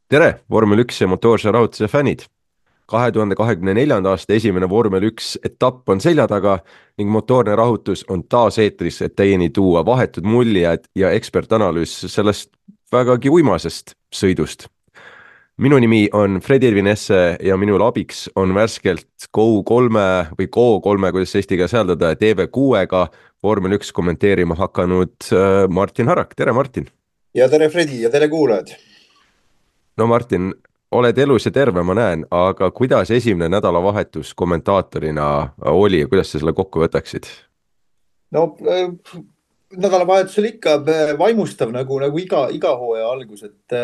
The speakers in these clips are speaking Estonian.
tere, vormel 1 ja motoorse rahutuse fännid! 2024. aasta esimene vormel 1 etapp on selja taga ning motoorne rahutus on taas eetris, et teieni tuua vahetud muljed ja ekspertanalüüs sellest vägagi uimasest sõidust. Minu nimi on Fredi Ervinesse ja minul abiks on värskelt Go3 või Go3, kuidas eesti keeles hääldada, TV6-ga vormel 1 kommenteerima hakanud Martin Harak. Tere, Martin! Ja tere Fredi ja tere kuulajad. No Martin, oled elus ja terve, ma näen, aga kuidas esimene nädalavahetus kommentaatorina oli ja kuidas sa selle kokku võtaksid? No nädalavahetusel ikka vaimustav nagu iga hooaja algus, et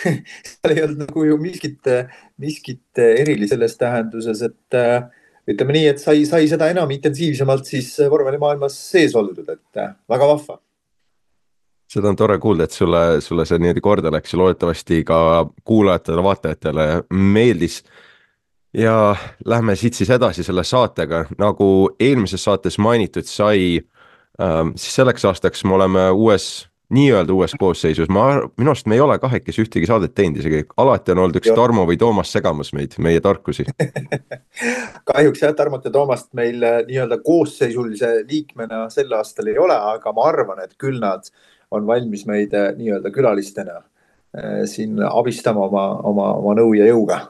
seal ei olnud nagu ju miskit erilist selles tähenduses, et ütleme nii, et sai seda enam intensiivsemalt siis vormelimaailmas sees oldud, et väga vahva. Seda on tore kuulda, et sulle see niimoodi korda läks ja loodetavasti ka kuulajatele-vaatajatele meeldis. Ja lähme siit siis edasi selle saatega, nagu eelmises saates mainitud sai, siis selleks aastaks me oleme nii-öelda uues koosseisus, minu arust me ei ole kahekesi ühtegi saadet teinud isegi, alati on olnud üks Tarmo või Toomas segamas meid, meie tarkusi. Kahjuks jah, Tarmot ja Toomast meil nii-öelda koosseisulise liikmena sel aastal ei ole, aga ma arvan, et küll nad on valmis meid nii-öelda külalistena siin abistama oma nõu ja jõuga.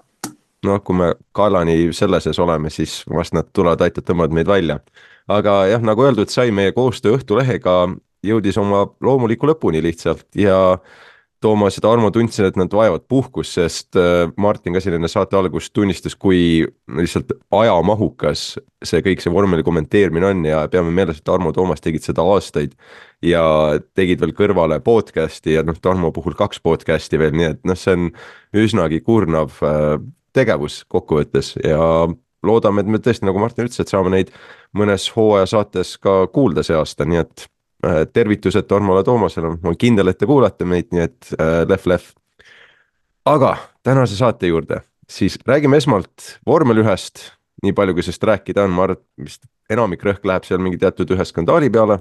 Noh, kui me Kalani selle sees oleme, siis vast nad tulevad, aitavad, tõmbavad meid välja. Aga jah, nagu öeldud, sai meie koostöö Õhtulehega jõudis oma loomuliku lõpuni lihtsalt ja Toomas ja Tarmo tundsid, et nad vajavad puhkust, sest Martin ka siin enne saate algust tunnistas, kui lihtsalt ajamahukas see kõik see vormeli kommenteerimine on ja peame meeles, et Tarmo ja Toomas tegid seda aastaid ja tegid veel kõrvale podcast'i ja noh, Tarmo puhul 2 podcast'i veel, nii et noh, see on üsnagi kurnav tegevus kokkuvõttes ja loodame, et me tõesti, nagu Martin ütles, et saame neid mõnes hooaja saates ka kuulda see aasta, nii et tervitused Tarmole Toomasele, ma olen kindel, et te kuulate meid, nii et lehv. Aga tänase saate juurde, siis räägime esmalt vormel 1-st, nii palju kui sellest rääkida on, ma arvan, et vist enamik rõhk läheb seal mingi teatud ühe skandaali peale,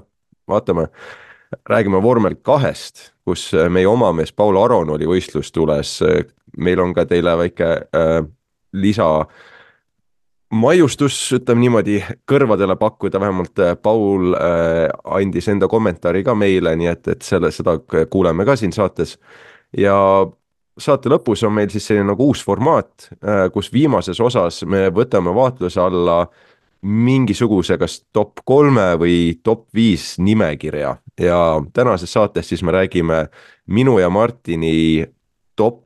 vaatame. Räägime vormel 2-st, kus meie oma mees Paul Aron oli võistlustules, meil on ka teile väike lisa maiustus, ütleme niimoodi, kõrvadele pakkuda, vähemalt Paul andis enda kommentaari ka meile, nii et seda kuuleme ka siin saates. Ja saate lõpus on meil siis selline nagu uus formaat, kus viimases osas me võtame vaatluse alla mingisuguse kas top 3 või top 5 nimekirja ja tänases saates siis me räägime minu ja Martini top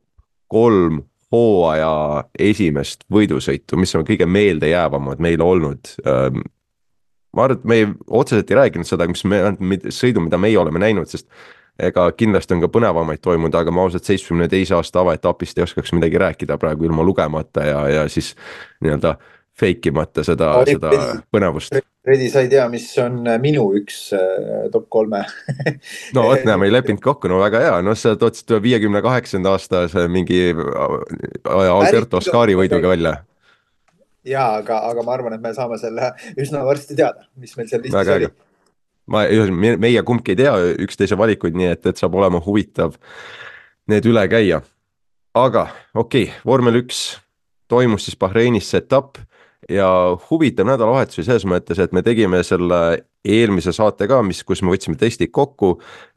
3 hooaja esimest võidusõitu, mis on kõige meeldejäävamad meile olnud. Ma arvan, et me otseselt ei rääkinud seda, sõidu, mida meie oleme näinud, sest ega kindlasti on ka põnevamaid toimunud, aga ma ausalt 72 aasta avaetapist ei oskaks midagi rääkida praegu ilma lugemata ja siis nii-öelda fake imata seda põnevust. Fredi, sa ei tea, mis on minu üks top 3 No vot, näe, me ei leppinud kokku, no väga hea, no sa tootsid 58. aasta mingi Alberto Ascari võiduga välja. Ja, aga ma arvan, et me saame selle üsna varsti teada, mis meil seal listis Väga oli. äge. Meie kumbki ei tea üksteise valikuid, nii et saab olema huvitav need üle käia. Aga okei, vormel 1 toimus siis Bahreinis see etapp ja huvitav nädalavahetus selles mõttes, et me tegime selle eelmise saate ka, kus me võtsime testid kokku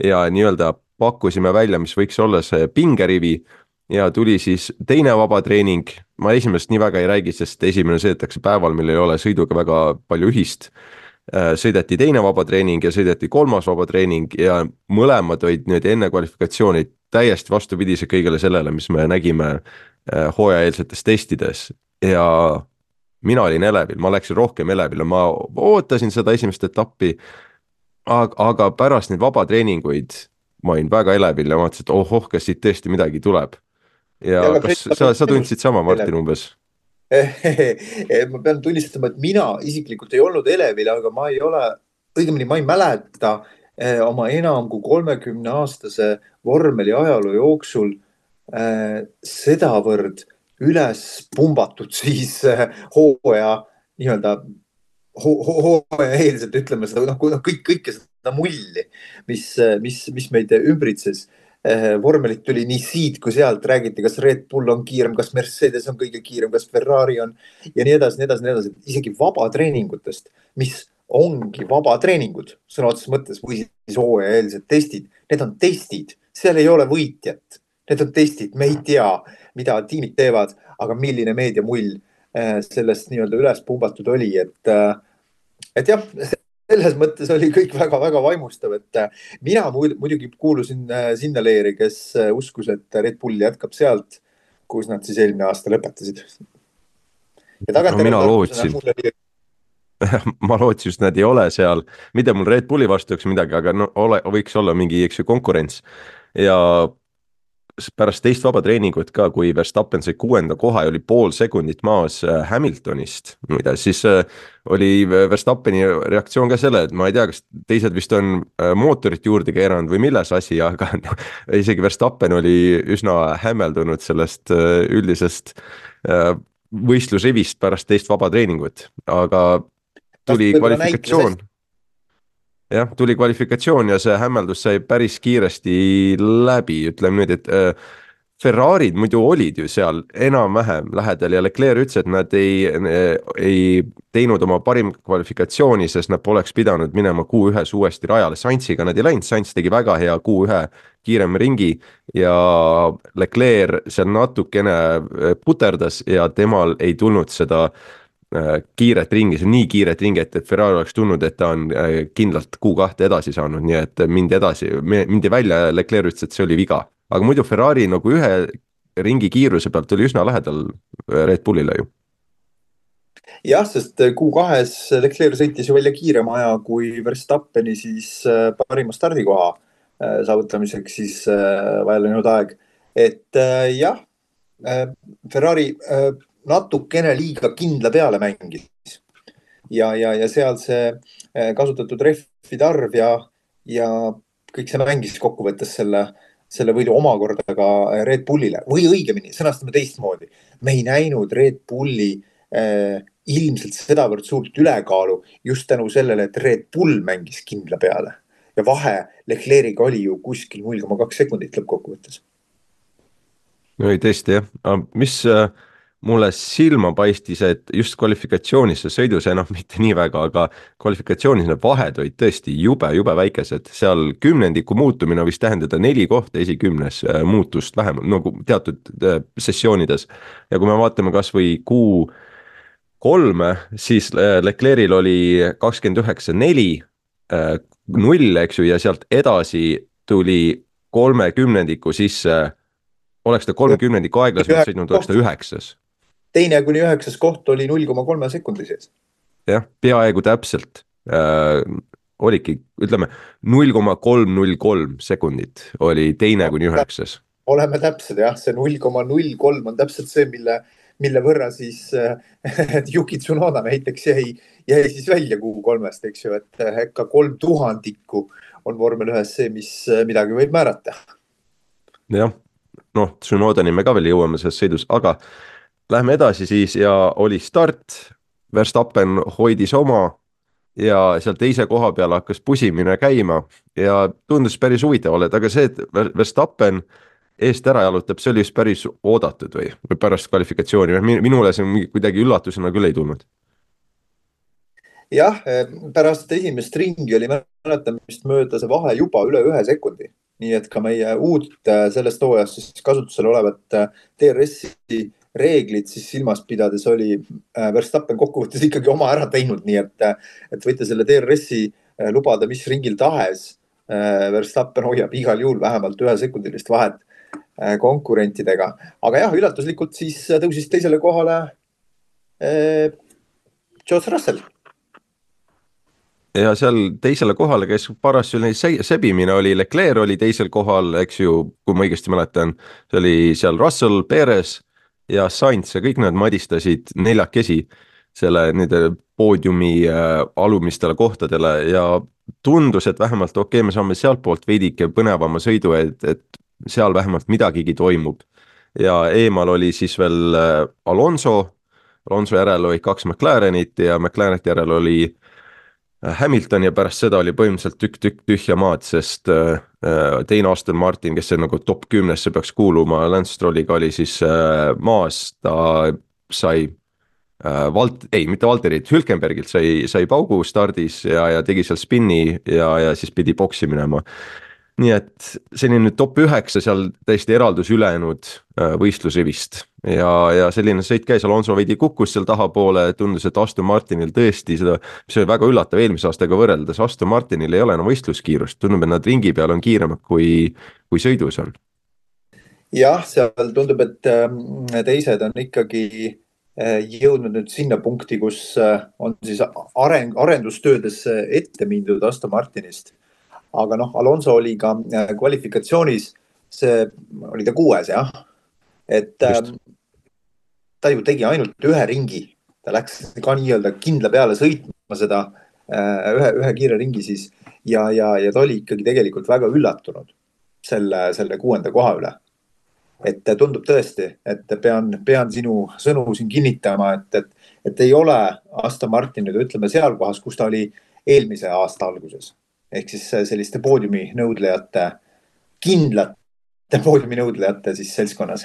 ja nii-öelda pakkusime välja, mis võiks olla see pingerivi ja tuli siis teine vabatreening. Ma esimesest nii väga ei räägi, sest esimene sõidetakse päeval, meil ei ole sõiduga väga palju ühist. Sõideti teine vabatreening ja sõideti kolmas vabatreening ja mõlemad olid nüüd enne kvalifikatsiooni täiesti vastupidise kõigele sellele, mis me nägime hooajaeelsetes testides ja mina olin elevil, ma läksin rohkem elevile, ma ootasin seda esimest etappi, aga pärast neid vabatreeninguid ma olin väga elevil ja vaatasin, et ohoh, kas siit tõesti midagi tuleb. Ja kas sa tundsid sama, Martin, umbes? Ma pean tunnistama, et mina isiklikult ei olnud elevil, aga ma ei ole, õigemini ma ei mäleta oma enam kui 30-aastase vormeli ajaloo jooksul sedavõrd üles pumbatud siis hooaja nii-öelda hooaja eelselt, ütleme seda, kõike seda mulli, mis meid ümbritses. vormelit tuli nii siit kui sealt, räägiti, kas Red Bull on kiirem, kas Mercedes on kõige kiirem, kas Ferrari on ja nii edasi, nii edasi, nii edasi. isegi vabatreeningutest, mis ongi vabatreeningud sõna otseses mõttes või siis hooajaeelsed testid. Need on testid, seal ei ole võitjat. Need on testid, me ei tea, mida tiimid teevad, aga milline meediamull sellest nii-öelda üles pumbatud oli, et jah, selles mõttes oli kõik väga-väga vaimustav, et mina muidugi kuulusin sinna leeri, kes uskus, et Red Bull jätkab sealt, kus nad siis eelmine aasta lõpetasid. Ja no mina tagantjärele tarkusena lootsin, mulle oli ma lootsin, et nad ei ole seal, mitte mul Red Bulli vastu oleks midagi, aga no võiks olla mingi, eks ju, konkurents. Ja pärast teist vaba treeningut ka, kui Verstappen sai 6. koha ja oli pool sekundit maas Hamiltonist, muide, siis oli Verstappeni reaktsioon ka selle, et ma ei tea, kas teised vist on mootorit juurde keeranud või milles asi, aga no, isegi Verstappen oli üsna hämmeldunud sellest üldisest võistlusrivist pärast teist vaba treeningut, aga tuli kvalifikatsioon. Jah, tuli kvalifikatsioon ja see hämmeldus sai päris kiiresti läbi, ütleme nüüd, et Ferrarid muidu olid ju seal enam-vähem lähedal ja Leclerc ütles, et nad ei teinud oma parim kvalifikatsiooni, sest nad poleks pidanud minema Q1-s uuesti rajale. Sainziga nad ei läinud, Sainz tegi väga hea Q1 kiirem ringi ja Leclerc seal natukene puterdas ja temal ei tulnud seda kiiret ringi, see on nii kiiret ringi, et Ferrari oleks tundnud, et ta on kindlalt Q2 edasi saanud, nii et mindi välja ja Leclerc ütles, et see oli viga. Aga muidu Ferrari nagu ühe ringi kiiruse pealt oli üsna lähedal Red Bullile ju. jah, sest Q2-s Leclerc sõitis ju välja kiirema aja kui Verstappeni siis parima stardikoha saavutamiseks siis vaja läinud aeg. Et jah, Ferrari natukene liiga kindla peale mängis ja seal see kasutatud rehvide arv ja kõik see mängis kokkuvõttes selle võidu omakorda ka Red Bullile või õigemini sõnastame teistmoodi. Me ei näinud Red Bulli ilmselt sedavõrd suurt ülekaalu just tänu sellele, et Red Bull mängis kindla peale ja vahe Leclerc'iga oli ju kuskil 0,2 sekundit lõppkokkuvõttes. No ei tõesti jah, mis mulle silma paistis, et just kvalifikatsioonis see sõidus enam mitte nii väga, aga kvalifikatsioonis need vahed olid tõesti jube väikesed, seal kümnendiku muutumine võis tähendada 4 kohta esikümnes muutust vähemalt, nagu teatud sessioonides. Ja kui me vaatame kas või Q3, siis Leclerc'il oli 29.4, 0, eks ju, ja sealt edasi tuli 30 sisse, oleks ta 30 aeglasemalt sõitnud, oleks ta 9. Teine kuni 9. koht oli 0,3 sekundi sees. Jah, peaaegu täpselt oligi, ütleme 0,303 sekundit oli teine kuni 9. Oleme täpsed jah, see 0,03 on täpselt see, mille võrra siis Yuki Tsunoda näiteks jäi siis välja Q3-st, eks ju, et ikka 3000 on vormel 1 see, mis midagi võib määrata. Jah, noh, Tsunodani me ka veel jõuame selles sõidus, aga lähme edasi siis ja oli start, Verstappen hoidis oma ja seal teise koha peal hakkas pusimine käima ja tundus päris huvitav oled, aga see, et Verstappen eest ära jalutab, see oli just päris oodatud või pärast kvalifikatsiooni, minule see kuidagi üllatusena küll ei tulnud. Jah, pärast esimest ringi oli mäletamist mööda see vahe juba üle 1 sekundi, nii et ka meie uut sellest hooajast siis kasutusel olevat DRS-i reeglid siis silmas pidades oli Verstappen kokkuvõttes ikkagi oma ära teinud, nii et võite selle DRS-i lubada mis ringil tahes. Verstappen hoiab igal juhul vähemalt 1 sekundilist vahet konkurentidega, aga jah, üllatuslikult siis tõusis teisele kohale George Russell. Ja seal teisele kohale, kes paras sebimine oli, Leclerc oli teisel kohal, eks ju, kui ma õigesti mäletan, see oli seal Russell, Perez ja Sainz ja kõik nad madistasid 4 selle nende poodiumi alumistele kohtadele ja tundus, et vähemalt okei, me saame sealt poolt veidike põnevama sõidu, et seal vähemalt midagigi toimub. Ja eemal oli siis veel Alonso järel oli 2 McLarenit ja McLarenit järel oli Hamilton ja pärast seda oli põhimõtteliselt tükk tühja maad, sest teine Aston Martin, kes see nagu top 10-sse peaks kuuluma, Lance Strolliga oli siis maas, ta sai ei, mitte Valterilt, Hülkenbergilt sai paugu stardis ja tegi seal spinni ja siis pidi boksi minema. nii et selline top 9 seal täiesti eraldus ülejäänud võistlusrivist ja selline sõit käis, Alonso veidi kukkus seal tahapoole, tundus, et Aston Martinil tõesti seda, mis oli väga üllatav eelmise aastaga võrreldes, Aston Martinil ei ole enam võistluskiirust, tundub, et nad ringi peal on kiiremad kui sõidus on. jah, seal tundub, et teised on ikkagi jõudnud nüüd sinna punkti, kus on siis arendustöödes ette mindud Aston Martinist. Aga noh, Alonso oli ka kvalifikatsioonis, see oli ta 6. jah. Et ta ju tegi ainult ühe ringi. Ta läks ka nii-öelda kindla peale sõitma seda ühe kiire ringi siis. Ja ta oli ikkagi tegelikult väga üllatunud selle 6. koha üle. Et tundub tõesti, et pean sinu sõnu siin kinnitama, et ei ole Aston Martin nüüd ütleme seal kohas, kus ta oli eelmise aasta alguses. Ehk siis selliste poodiumi nõudlejate, kindlate poodiumi nõudlejate siis seltskonnas.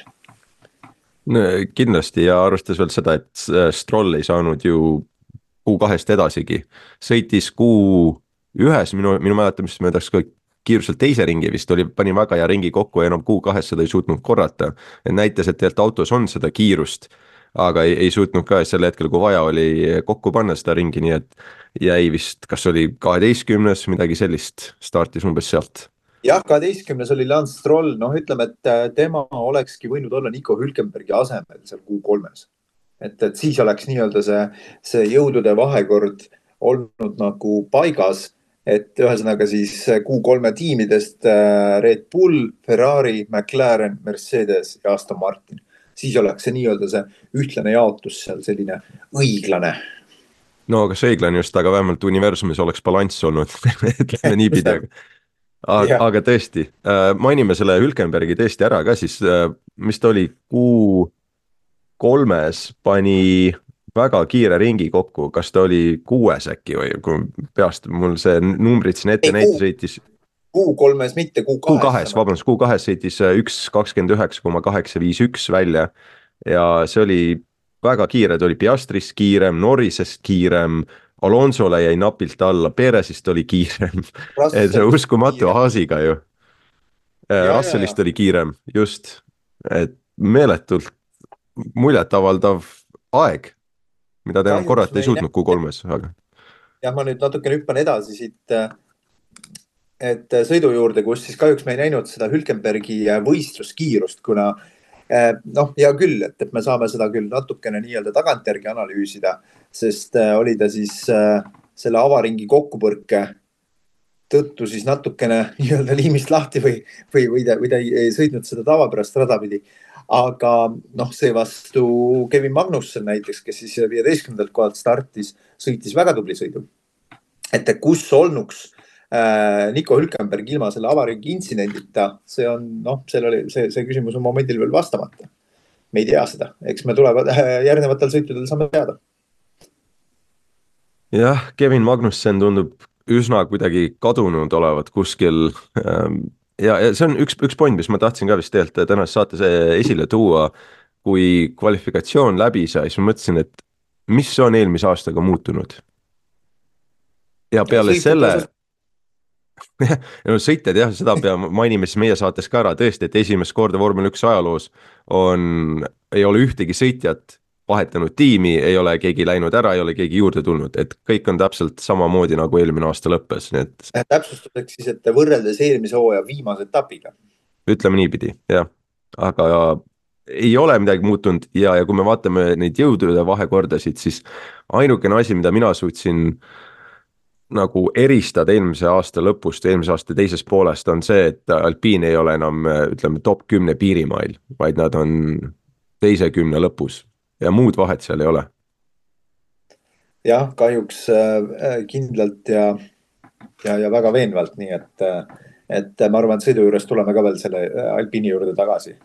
No, kindlasti ja arvestades veel seda, et Stroll ei saanud ju Q2-st edasigi. Sõitis Q1 minu mäletamist möödaks ka kiiruselt teise ringi vist pani väga hea ringi kokku ja enam Q2 seda ei suutnud korrata. Et näitas, et tegelikult autos on seda kiirust, aga ei suutnud ka sel hetkel, kui vaja oli kokku panna seda ringi, nii et jäi vist, kas oli 12, midagi sellist, startis umbes sealt. Jah, 12 oli Lance Stroll, noh ütleme, et tema olekski võinud olla Nico Hülkenbergi asemel seal Q3-s. Et siis oleks nii-öelda see jõudude vahekord olnud nagu paigas, et ühesõnaga siis Q3 tiimidest Red Bull, Ferrari, McLaren, Mercedes ja Aston Martin. Siis oleks see nii-öelda see ühtlane jaotus seal selline õiglane. No kas õiglane just, aga vähemalt universumis oleks balanss olnud, ütleme niipidi. Aga tõesti, mainime selle Hülkenbergi tõesti ära ka siis, mis ta oli Q3-s pani väga kiire ringi kokku, kas ta oli 6 äkki või kui peast mul see numbrid siin ette näite sõitis. Q3-s mitte, Q2-s, vabandust, Q2-s sõitis 1.29,851 välja ja see oli väga kiire, ta oli Piastrist kiirem, Norrisest kiirem, Alonsole jäi napilt alla, Perezist oli kiirem, et see uskumatu Haasiga ju. Russellist oli kiirem, just, et meeletult muljetavaldav aeg, mida ta enam korrata ei suutnud Q3-s. Ja ma nüüd natukene hüppan edasi siit, et sõidu juurde, kus siis kahjuks me ei näinud seda Hülkenbergi võistluskiirust, kuna noh, hea küll, et me saame seda küll natukene nii-öelda tagantjärgi analüüsida, sest oli ta siis selle avaringi kokkupõrke tõttu siis natukene nii-öelda liimist lahti või ta ei sõitnud seda tavapärast rada pidi. Aga noh, see vastu Kevin Magnussen näiteks, kes siis 15. kohalt startis, sõitis väga tubli sõidu. Et kus olnuks Nico Hülkenberg ilma selle avaringi intsidendita, see on, noh, see küsimus on momendil veel vastamata. Me ei tea seda, eks me tulevad järgnevatel sõitudel saame teada. Jah, Kevin Magnussen tundub üsna kuidagi kadunud olevat kuskil ja see on üks point, mis ma tahtsin ka vist tegelikult tänases saates esile tuua, kui kvalifikatsioon läbi sai, siis ma mõtlesin, et mis on eelmise aastaga muutunud. Ja peale selle sõitjad jah, seda mainime siis meie saates ka ära tõesti, et esimest korda Vormel 1 ajaloos ei ole ühtegi sõitjat vahetanud tiimi, ei ole keegi läinud ära, ei ole keegi juurde tulnud, et kõik on täpselt samamoodi nagu eelmine aasta lõppes. Täpsustuseks siis, et võrreldes eelmise hooaja viimase etapiga. Ütleme niipidi, jah. Aga ei ole midagi muutunud ja kui me vaatame neid jõudude vahekordasid, siis ainukene asi, mida mina suutsin nagu eristada eelmise aasta lõpust, eelmise aasta teisest poolest on see, et Alpine ei ole enam, ütleme, top 10 piirimail, vaid nad on teise 10 lõpus ja muud vahet seal ei ole. Jah, kahjuks kindlalt ja väga veenvalt, nii et ma arvan, et sõidu juures tuleme ka veel selle Alpine juurde tagasi.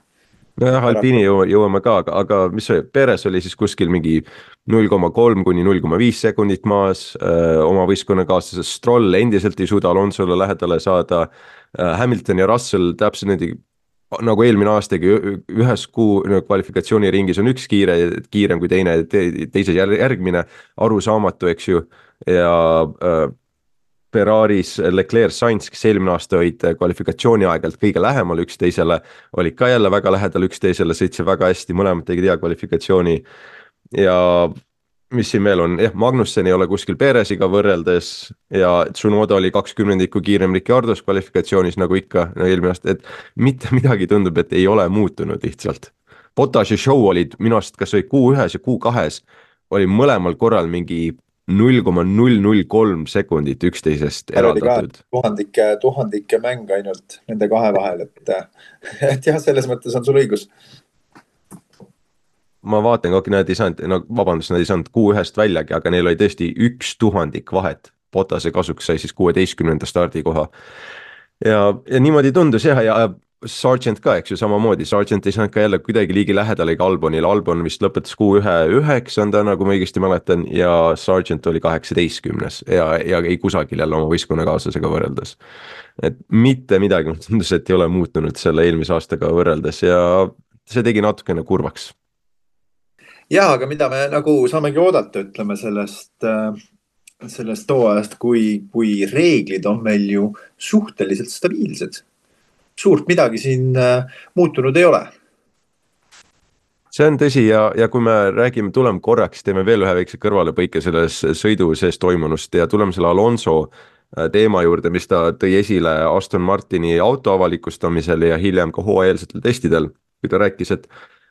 nojah, Alpini paraku. jõuame ka, aga mis see, Perez oli siis kuskil mingi 0,3 kuni 0,5 sekundit maas, oma võistkonnakaaslasest Stroll endiselt ei suuda Alonsole lähedale saada, Hamilton ja Russell täpselt nende nagu eelmine aastagi ühes kuu kvalifikatsiooniringis on üks kiirem kui teine, teises järgmine, arusaamatu, eks ju, ja Ferraris Leclerc, Sainz, kes eelmine aasta olid kvalifikatsiooni aegelt kõige lähemal üksteisele, olid ka jälle väga lähedal üksteisele, sõitsid väga hästi, mõlemad tegid hea kvalifikatsiooni ja mis siin veel on, jah, Magnussen ei ole kuskil Peresiga võrreldes ja Tsunoda oli 20 kiirem Ricardos kvalifikatsioonis nagu ikka no eelmine aasta, et mitte midagi tundub, et ei ole muutunud lihtsalt. Bottas ja Show olid minu arust, kas oli Q1 ja Q2 oli mõlemal korral mingi 0,003 sekundit üksteisest seal oli ka eraldatud. tuhandike mäng ainult nende kahe vahel, et jah, selles mõttes on sul õigus. Ma vaatan, kui nad ei saanud, no vabandust, nad ei saanud Q1-st väljagi, aga neil oli tõesti 1/1000 vahet. Bottase kasuks sai siis 16. stardikoha. Ja niimoodi tundus jah, ja Sargent ka, eks ju, samamoodi, Sargent ei saanud ka jälle kuidagi liigi lähedal ega Albonil, Albon vist lõpetas Q1 9. nagu ma õigesti mäletan ja Sargent oli 18. ja ei kusagil jälle oma võistkonnakaaslasega võrreldes. Et mitte midagi, tundus, et ei ole muutunud selle eelmise aastaga võrreldes ja see tegi natukene kurvaks. Ja, aga mida me nagu saamegi oodata, ütleme sellest hooajast, kui reeglid on meil ju suhteliselt stabiilsed. Suurt midagi siin muutunud ei ole. See on tõsi ja kui me räägime, tuleme korraks, teeme veel ühe väikse kõrvalepõike selles sõidu sees toimunust ja tuleme selle Alonso teema juurde, mis ta tõi esile Aston Martini auto avalikustamisel ja hiljem ka hooajalsetel testidel, kui ta rääkis,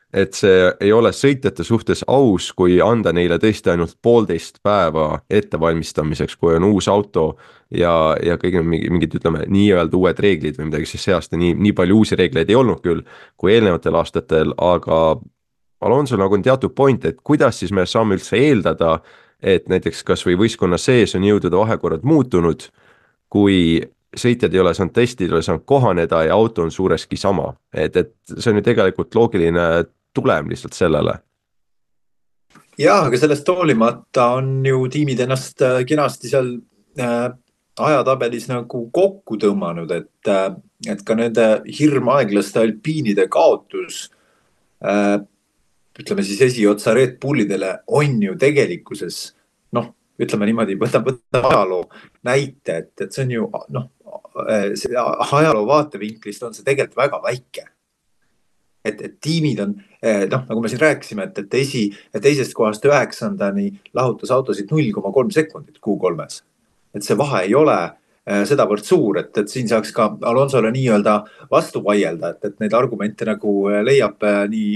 et see ei ole sõitjate suhtes aus, kui anda neile tõesti ainult 1,5 päeva ettevalmistamiseks, kui on uus auto ja kõik mingid, ütleme, nii-öelda uued reeglid või midagi, siis see aasta nii palju uusi reegleid ei olnud küll kui eelnevatel aastatel, aga Alonso nagu on teatud point, et kuidas siis me saame üldse eeldada, et näiteks kas või võistkonna sees on jõudude vahekorrad muutunud, kui sõitjad ei ole saanud testida, ei ole saanud kohaneda ja auto on suureski sama, et see on ju tegelikult loogiline tulem lihtsalt sellele. Ja, aga sellest hoolimata on ju tiimid ennast kenasti seal ajatabelis nagu kokku tõmmanud, et ka nende hirmaeglaste alpiinide kaotus, ütleme siis esiotsa Red Bullidele on ju tegelikkuses, noh, ütleme niimoodi, võta ajaloo näite, et see on ju, noh, ajaloo vaatevinklist on see tegelikult väga väike. Et tiimid on, noh, nagu me siin rääkisime, et teisest kohast 9. lahutas autosid 0,3 sekundit Q3-s. Et see vahe ei ole sedavõrd suur, et siin saaks ka Alonsole nii-öelda vastu vaielda, et neid argumente nagu leiab nii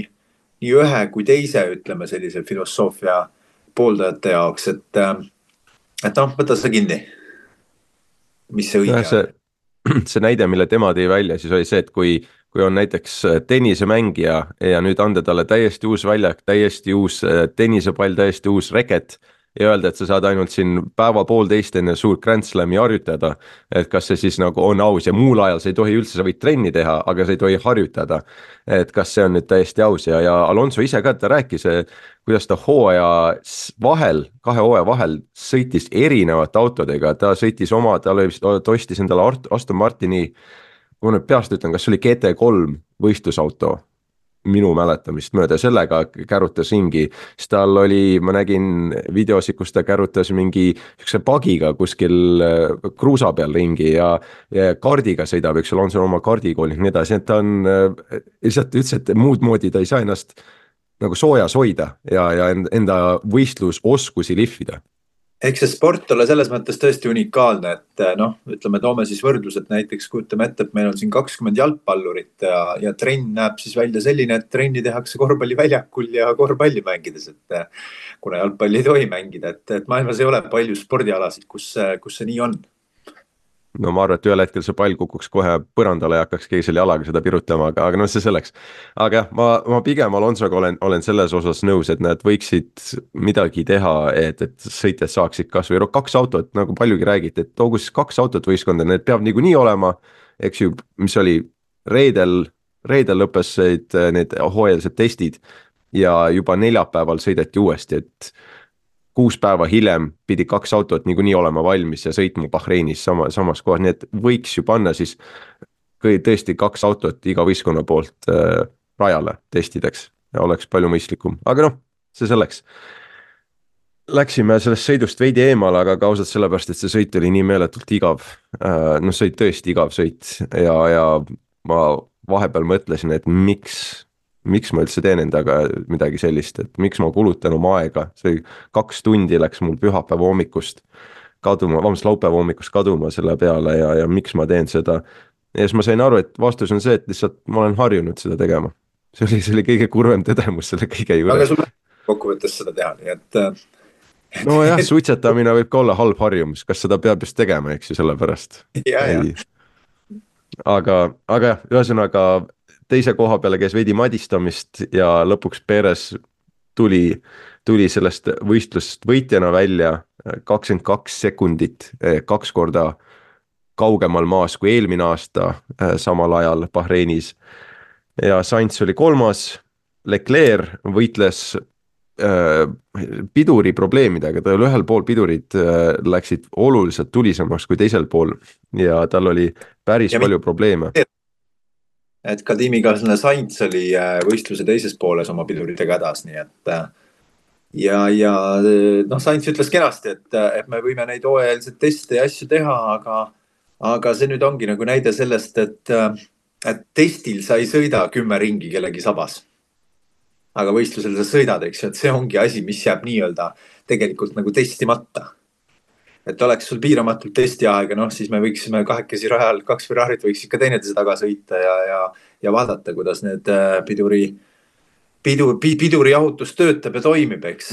ühe kui teise, ütleme sellise filosoofia pooldajate jaoks, et noh, võta see kinni. Mis see õige on? See näide, mille tema tõi välja, siis oli see, et kui on näiteks tennisemängija ja nüüd anda talle täiesti uus väljak, täiesti uus tennisepall, täiesti uus reket ja öelda, et sa saad ainult siin päeva 1,5 enne suurt Grand Slami harjutada, et kas see siis nagu on aus ja muul ajal sa ei tohi üldse, sa võid trenni teha, aga sa ei tohi harjutada. Et kas see on nüüd täiesti aus ja Alonso ise ka, ta rääkis, kuidas ta kahe hooaja vahel sõitis erinevate autodega, ta sõitis ta ostis endale Aston Martini, kui ma nüüd peast ütlen, kas see oli GT3 võistlusauto, minu mäletamist mööda, sellega kärutas ringi, siis tal oli, ma nägin videosid, kus ta kärutas mingi üks pagiga kuskil kruusa peal ringi ja kardiga sõidab, eks ole, on seal oma kardikool ja nii edasi, et ta on lihtsalt ütles, et muud moodi ta ei saa ennast nagu soojas hoida ja enda võistlusoskusi lihvida. Eks see sport ole selles mõttes tõesti unikaalne, et noh, ütleme, toome siis võrdlused näiteks, kujutame ette, et meil on siin 20 jalgpallurit ja trenn näeb siis välja selline, et trenni tehakse korvpalliväljakul ja korvpalli mängides, et kuna jalgpalli ei tohi mängida, et maailmas ei ole palju spordialasid, kus see nii on. No ma arvan, et ühel hetkel see pall kukuks kohe põrandale ja hakkaks keegi selle jalaga seda pirutama, aga noh, see selleks. Aga jah, ma pigem Alonsoga olen selles osas nõus, et nad võiksid midagi teha, et sõitjad saaksid kas või 2 autot, nagu paljugi räägiti, et toogu siis 2 autot võistkonda, need peab niikuinii olema, eks ju, mis oli reedel reedel lõppesid need hooajalised testid ja juba neljapäeval sõideti uuesti, et 6 päeva hiljem pidi 2 autot niikuinii olema valmis ja sõitma Bahreinis samas kohas, nii et võiks ju panna siis tõesti 2 autot iga võistkonna poolt rajale testideks ja oleks palju mõistlikum, aga noh, see selleks. Läksime sellest sõidust veidi eemale, aga ka ausalt sellepärast, et see sõit oli nii meeletult igav. No see oli tõesti igav sõit ja ma vahepeal mõtlesin, et miks ma üldse teen endaga midagi sellist, et miks ma kulutan oma aega, see 2 tundi läks mul pühapäeva hommikust kaduma, laupäeva hommikust kaduma selle peale ja miks ma teen seda. Ja siis ma sain aru, et vastus on see, et lihtsalt ma olen harjunud seda tegema. See oli kõige kurvem tõdemus selle kõige juures. Aga sul kokkuvõttes seda teha, nii et... No jah, suitsetamine võib ka olla halb harjumus, kas seda peab just tegema, eks ju, sellepärast. Aga jah, ühesõnaga teise koha peale käis veidi madistamist ja lõpuks Perez tuli sellest võistlusest võitjana välja 22 sekundit, 2 korda kaugemal maas kui eelmine aasta samal ajal Bahreinis. Ja Sainz oli 3. Leclerc võitles piduri probleemidega, tal ühel pool pidurid läksid oluliselt tulisemaks kui teisel pool ja tal oli päris palju probleeme. Et ka tiimikaaslane Sainz oli võistluse teises pooles oma piduritega hädas, nii et ja Sainz ütles kenasti, et me võime neid hooajalised teste ja asju teha, aga see nüüd ongi nagu näide sellest, et testil sa ei sõida 10 ringi kellegi sabas. Aga võistlusel sa sõidad, eks ju, et see ongi asi, mis jääb nii-öelda tegelikult nagu testimata. Et oleks sul piiramatult testiaega, siis me võiksime 2 rajal, 2 Ferrarit võiks ikka teineteise taga sõita ja vaadata, kuidas need piduri jahutus töötab ja toimib, eks.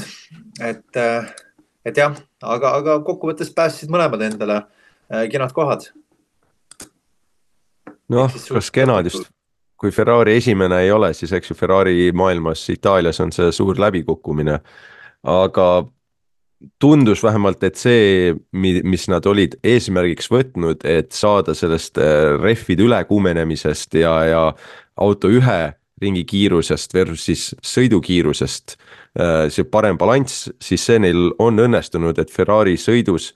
Et jah, aga kokkuvõttes päässid mõlemad endale kenad kohad. Noh, kas kenad just... Kui Ferrari esimene ei ole, siis eks ju Ferrari maailmas Itaalias on see suur läbikukkumine, aga tundus vähemalt, et see, mis nad olid eesmärgiks võtnud, et saada sellest rehvide ülekuumenemisest ja auto 1 ringi kiirusest versus sõidukiirusest, see parem balanss, siis see neil on õnnestunud, et Ferrari sõidus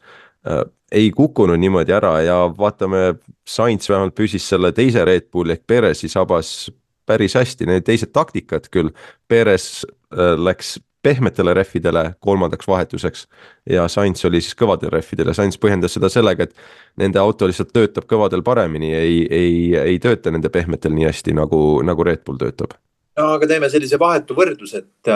ei kukkunud niimoodi ära ja vaatame, Sainz vähemalt püsis selle teise Red Bulli ehk Perezi sabas päris hästi, need teised taktikad küll, Perez läks pehmetele rehvidele 3. vahetuseks ja Sainz oli siis kõvadel rehvidel ja Sainz põhjendas seda sellega, et nende auto lihtsalt töötab kõvadel paremini, ei tööta nende pehmetel nii hästi nagu Red Bull töötab. No, aga teeme sellise vahetu võrdlus, et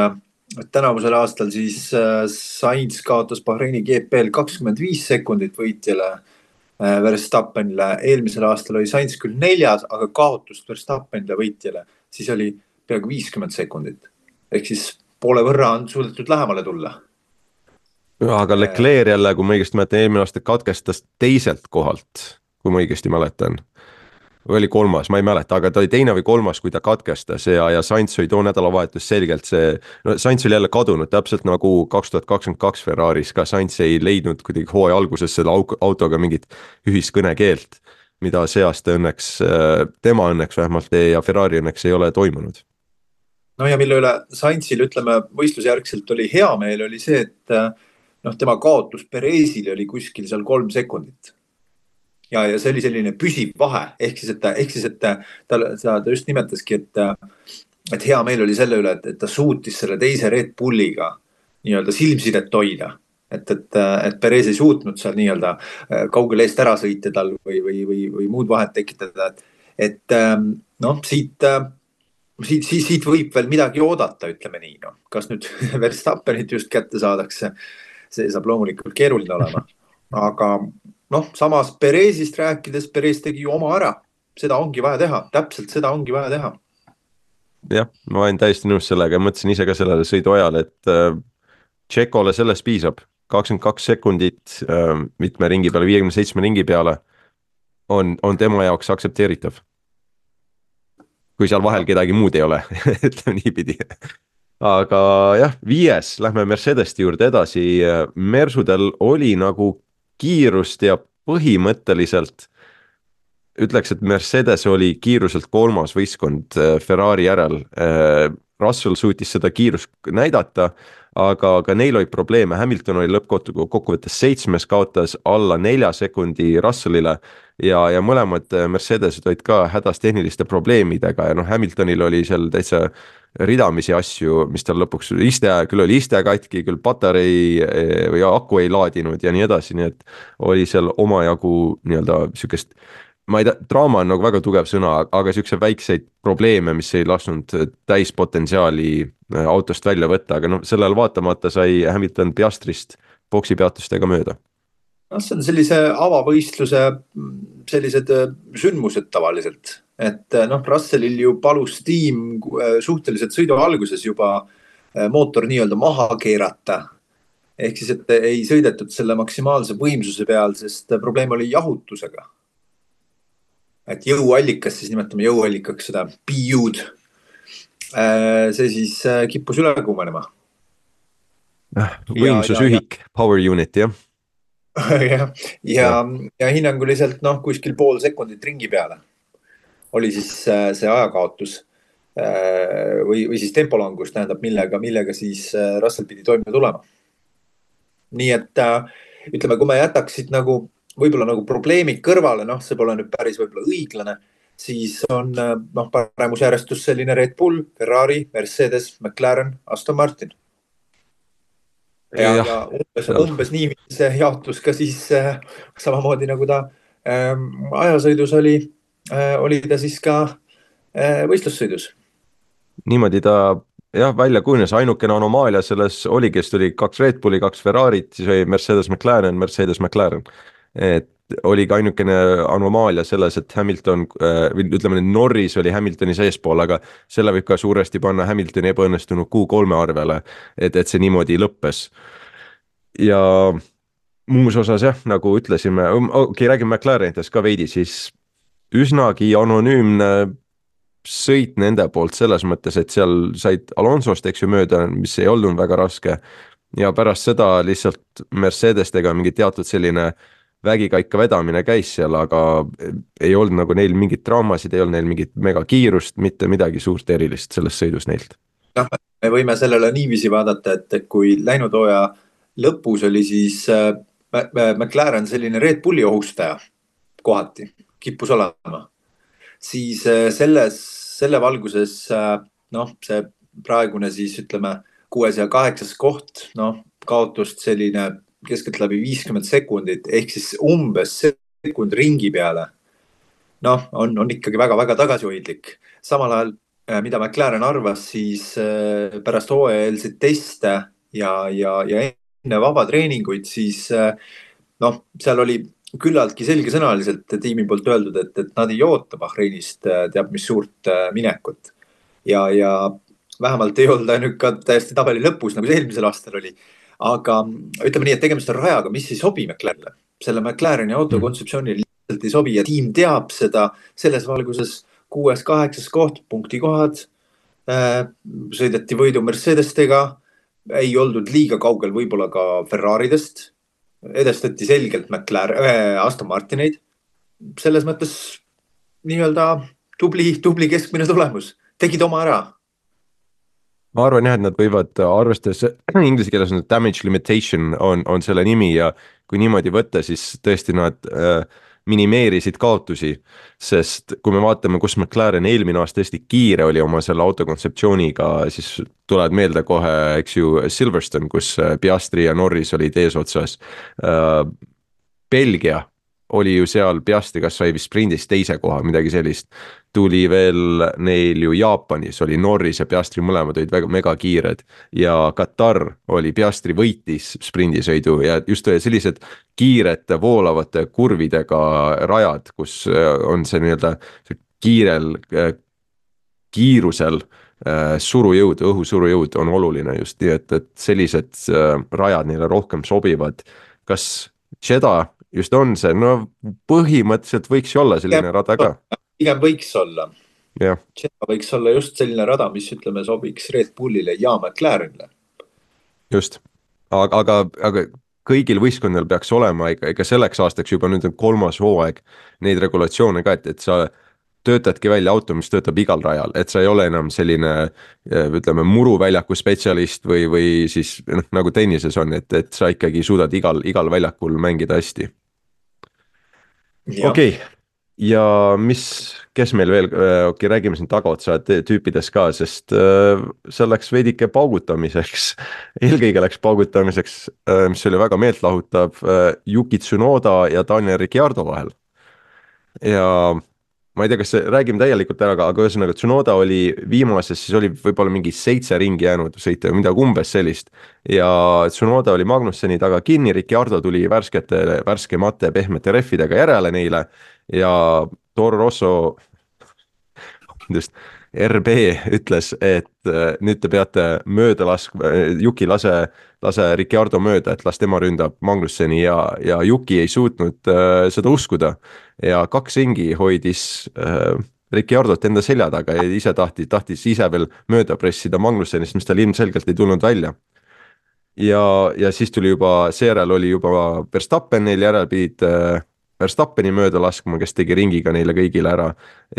tänavusel aastal siis Sainz kaotas Bahreini GP-l 25 sekundit võitjale Verstappenile. Eelmisel aastal oli Sainz küll 4, aga kaotust Verstappenile võitjale, siis oli peaaegu 50 sekundit. Ehk siis poole võrra on suudetud lähemale tulla. Aga Leclerc jälle, kui ma õigesti mäletan, eelmine aasta katkestas teiselt kohalt, kui ma õigesti mäletan. Või oli 3, ma ei mäleta, aga ta oli 2. või 3, kui ta katkestas ja Sainz oli too nädalavahetus selgelt Sainz oli jälle kadunud, täpselt nagu 2022 Ferraris, ka Sainz ei leidnud kuidagi hooaja alguses selle autoga mingit ühiskõnekeelt, mida see aasta õnneks, tema õnneks vähemalt ja Ferrari õnneks ei ole toimunud. No ja mille üle Sainzil, ütleme, võistlusjärgselt oli hea meel, oli see, et tema kaotus Perezile oli kuskil seal 3 sekundit. Ja see oli selline püsiv vahe, ehk siis, et ta just nimetaski, et hea meel oli selle üle, et ta suutis selle teise Red Bulliga nii-öelda silmsidet hoida. Et Perez ei suutnud seal nii-öelda kaugel eest ära sõita tal või muud vahet tekitada. Et siit võib veel midagi oodata, ütleme nii. Kas nüüd Verstappenit just kätte saadakse, see saab loomulikult keeruline olema. Aga samas Perezist rääkides, Perez tegi ju oma ära. Seda ongi vaja teha, täpselt seda ongi vaja teha. Jah, ma olen täiesti nõus sellega, mõtlesin ise ka sellele sõidu ajal, et Tšekole sellest piisab. 22 sekundit mitme ringi peale, 57 ringi peale on tema jaoks aktsepteeritav. Kui seal vahel kedagi muud ei ole, ütleme niipidi. Aga jah, 5, lähme Mercedeste juurde edasi. Mersudel oli nagu kiirust ja põhimõtteliselt ütleks, et Mercedes oli kiiruselt kolmas võistkond Ferrari järel. Russell suutis seda kiirust näidata, aga neil oli probleeme, Hamilton oli lõppkokkuvõttes 7., kaotas alla 4 sekundi Russellile ja mõlemad Mercedesed olid ka hädas tehniliste probleemidega ja noh, Hamiltonil oli seal täitsa ridamisi asju, mis tal lõpuks küll oli iste katki, küll patarei või aku ei laadinud ja nii edasi, nii et oli seal omajagu nii-öelda sihukest, ma ei tea, draama on nagu väga tugev sõna, aga siukse väikseid probleeme, mis ei lasknud täispotentsiaali autost välja võtta, aga noh, sellele vaatamata sai Hamilton Piastrist boksipeatustega mööda. noh, see on sellise avavõistluse sellised sündmused tavaliselt, et noh, Russellil ju palus tiim suhteliselt sõidu alguses juba mootor nii-öelda maha keerata. ehk siis, et ei sõidetud selle maksimaalse võimsuse peal, sest probleem oli jahutusega. et jõuallikas, siis nimetame jõuallikaks seda PU-d. see siis kippus üle kuumenema. Võimsusühik, power unit, jah. ja hinnanguliselt noh, kuskil pool sekundit ringi peale oli siis see ajakaotus või siis tempolangus, tähendab, millega siis Russell pidi toime tulema. nii et ütleme, kui me jätaksid nagu võib-olla nagu probleemid kõrvale, noh, see pole nüüd päris võib-olla õiglane, siis on noh, paremusjärjestus selline Red Bull, Ferrari, Mercedes, McLaren, Aston Martin. ja umbes nii see jaotus ka siis samamoodi nagu ta ajasõidus oli ta siis ka võistlussõidus. Niimoodi ta jah, välja kujunes, ainukene anomaalia selles oligi, et tuli 2 Red Bulli, 2 Ferrarit, siis oli Mercedes McLaren. Et oligi ainukene anomaalia selles, et Hamilton, ütleme, Norris oli Hamiltoni seespool, aga selle võib ka suuresti panna Hamiltoni ebaõnnestunud Q3 arvele, et see niimoodi lõppes. Ja muus osas jah, nagu ütlesime, räägime McLarenitest ka veidi, siis üsnagi anonüümne sõit nende poolt selles mõttes, et seal said Alonsost, eks ju, mööda, mis ei olnud väga raske ja pärast seda lihtsalt Mercedestega mingi teatud selline vägikaika vedamine käis seal, aga ei olnud nagu neil mingit draamasid, ei olnud neil mingit megakiirust, mitte midagi suurt erilist selles sõidus neilt. noh, me võime sellele niiviisi vaadata, et kui läinud hooaja lõpus oli siis McLaren selline Red Bulli ohustaja kohati, kippus olema, siis selle valguses noh, see praegune siis ütleme 6. ja 8. koht, noh, kaotust selline keskeltläbi 50 sekundit ehk siis umbes sekund ringi peale. noh, on ikkagi väga-väga tagasihoidlik. samal ajal, mida McLaren arvas, siis pärast hooajaeelseid teste ja enne vabatreeninguid, siis noh, seal oli küllaltki selgesõnaliselt tiimi poolt öeldud, et nad ei oota Bahreinist teab mis suurt minekut. Ja vähemalt ei olnud ainult ka täiesti tabeli lõpus, nagu see eelmisel aastal oli. Aga ütleme nii, et tegemist on rajaga, mis ei sobi McLarenile. Selle McLareni autokontseptsiooni lihtsalt ei sobi ja tiim teab seda selles valguses 6., 8. koht, punktikohad. Sõideti võidu Mercedestega, ei oldud liiga kaugel võib-olla ka Ferraridest. Edestati selgelt Aston Martineid. Selles mõttes nii-öelda tubli keskmine tulemus. Tegid oma ära. Ma arvan jah, et nad võivad, arvestades inglise keeles on damage limitation on selle nimi ja kui niimoodi võtta, siis tõesti nad minimeerisid kaotusi, sest kui me vaatame, kus McLaren eelmine aasta hästi kiire oli oma selle autokontseptsiooniga, siis tulevad meelde kohe, eks ju, Silverstone, kus Piastri ja Norris olid eesotsas. Belgia oli ju seal, Piastri kas sai vist sprindis 2. koha, midagi sellist. Tuli veel neil ju Jaapanis, oli Norris ja Piastri mõlemad olid väga mega kiired ja Katar oli, Piastri võitis sprindisõidu ja just sellised kiired voolavate kurvidega rajad, kus on see nii-öelda kiirusel surujõud, õhusurujõud on oluline just nii, et sellised rajad neile rohkem sobivad. Kas Jeddah just on see, no põhimõtteliselt võiks ju olla selline rada ka. Pigem võiks olla. Jah. Jeddah võiks olla just selline rada, mis ütleme sobiks Red Bullile ja McLarenile. Just, aga kõigil võistkondadel peaks olema ega selleks aastaks juba nüüd on 3. hooaeg neid regulatsioone ka, et sa töötadki välja auto, mis töötab igal rajal, et sa ei ole enam selline ütleme muruväljaku spetsialist või siis noh, nagu tennises on, et sa ikkagi suudad igal väljakul mängida hästi. Okei. Ja kes meil veel, räägime siin tagaotsa tüüpidest ka, sest see läks veidike paugutamiseks, eelkõige läks paugutamiseks, mis oli väga meeltlahutav Yuki Tsunoda ja Daniel Ricciardo vahel. Ja ma ei tea, kas räägime täielikult ära, aga ühesõnaga Tsunoda oli viimases, siis oli võib-olla mingi 7 ringi jäänud sõita, midagi umbes sellist. Ja Tsunoda oli Magnusseni taga kinni, Ricciardo tuli värskemate pehmete rehvidega järele neile ja Toro Rosso, RB ütles, et nüüd te peate mööda laskma, Yuki lase Ricciardo mööda, et las tema ründab Magnusseni ja Yuki ei suutnud seda uskuda. Ja 2 ringi hoidis Ricciardot enda selja taga ja ise tahtis ise veel mööda pressida Magnussenist, mis tal ilmselgelt ei tulnud välja. Ja siis tuli juba, seejärel oli juba Verstappen neil järel pidid Verstappeni mööda laskma, kes tegi ringiga neile kõigile ära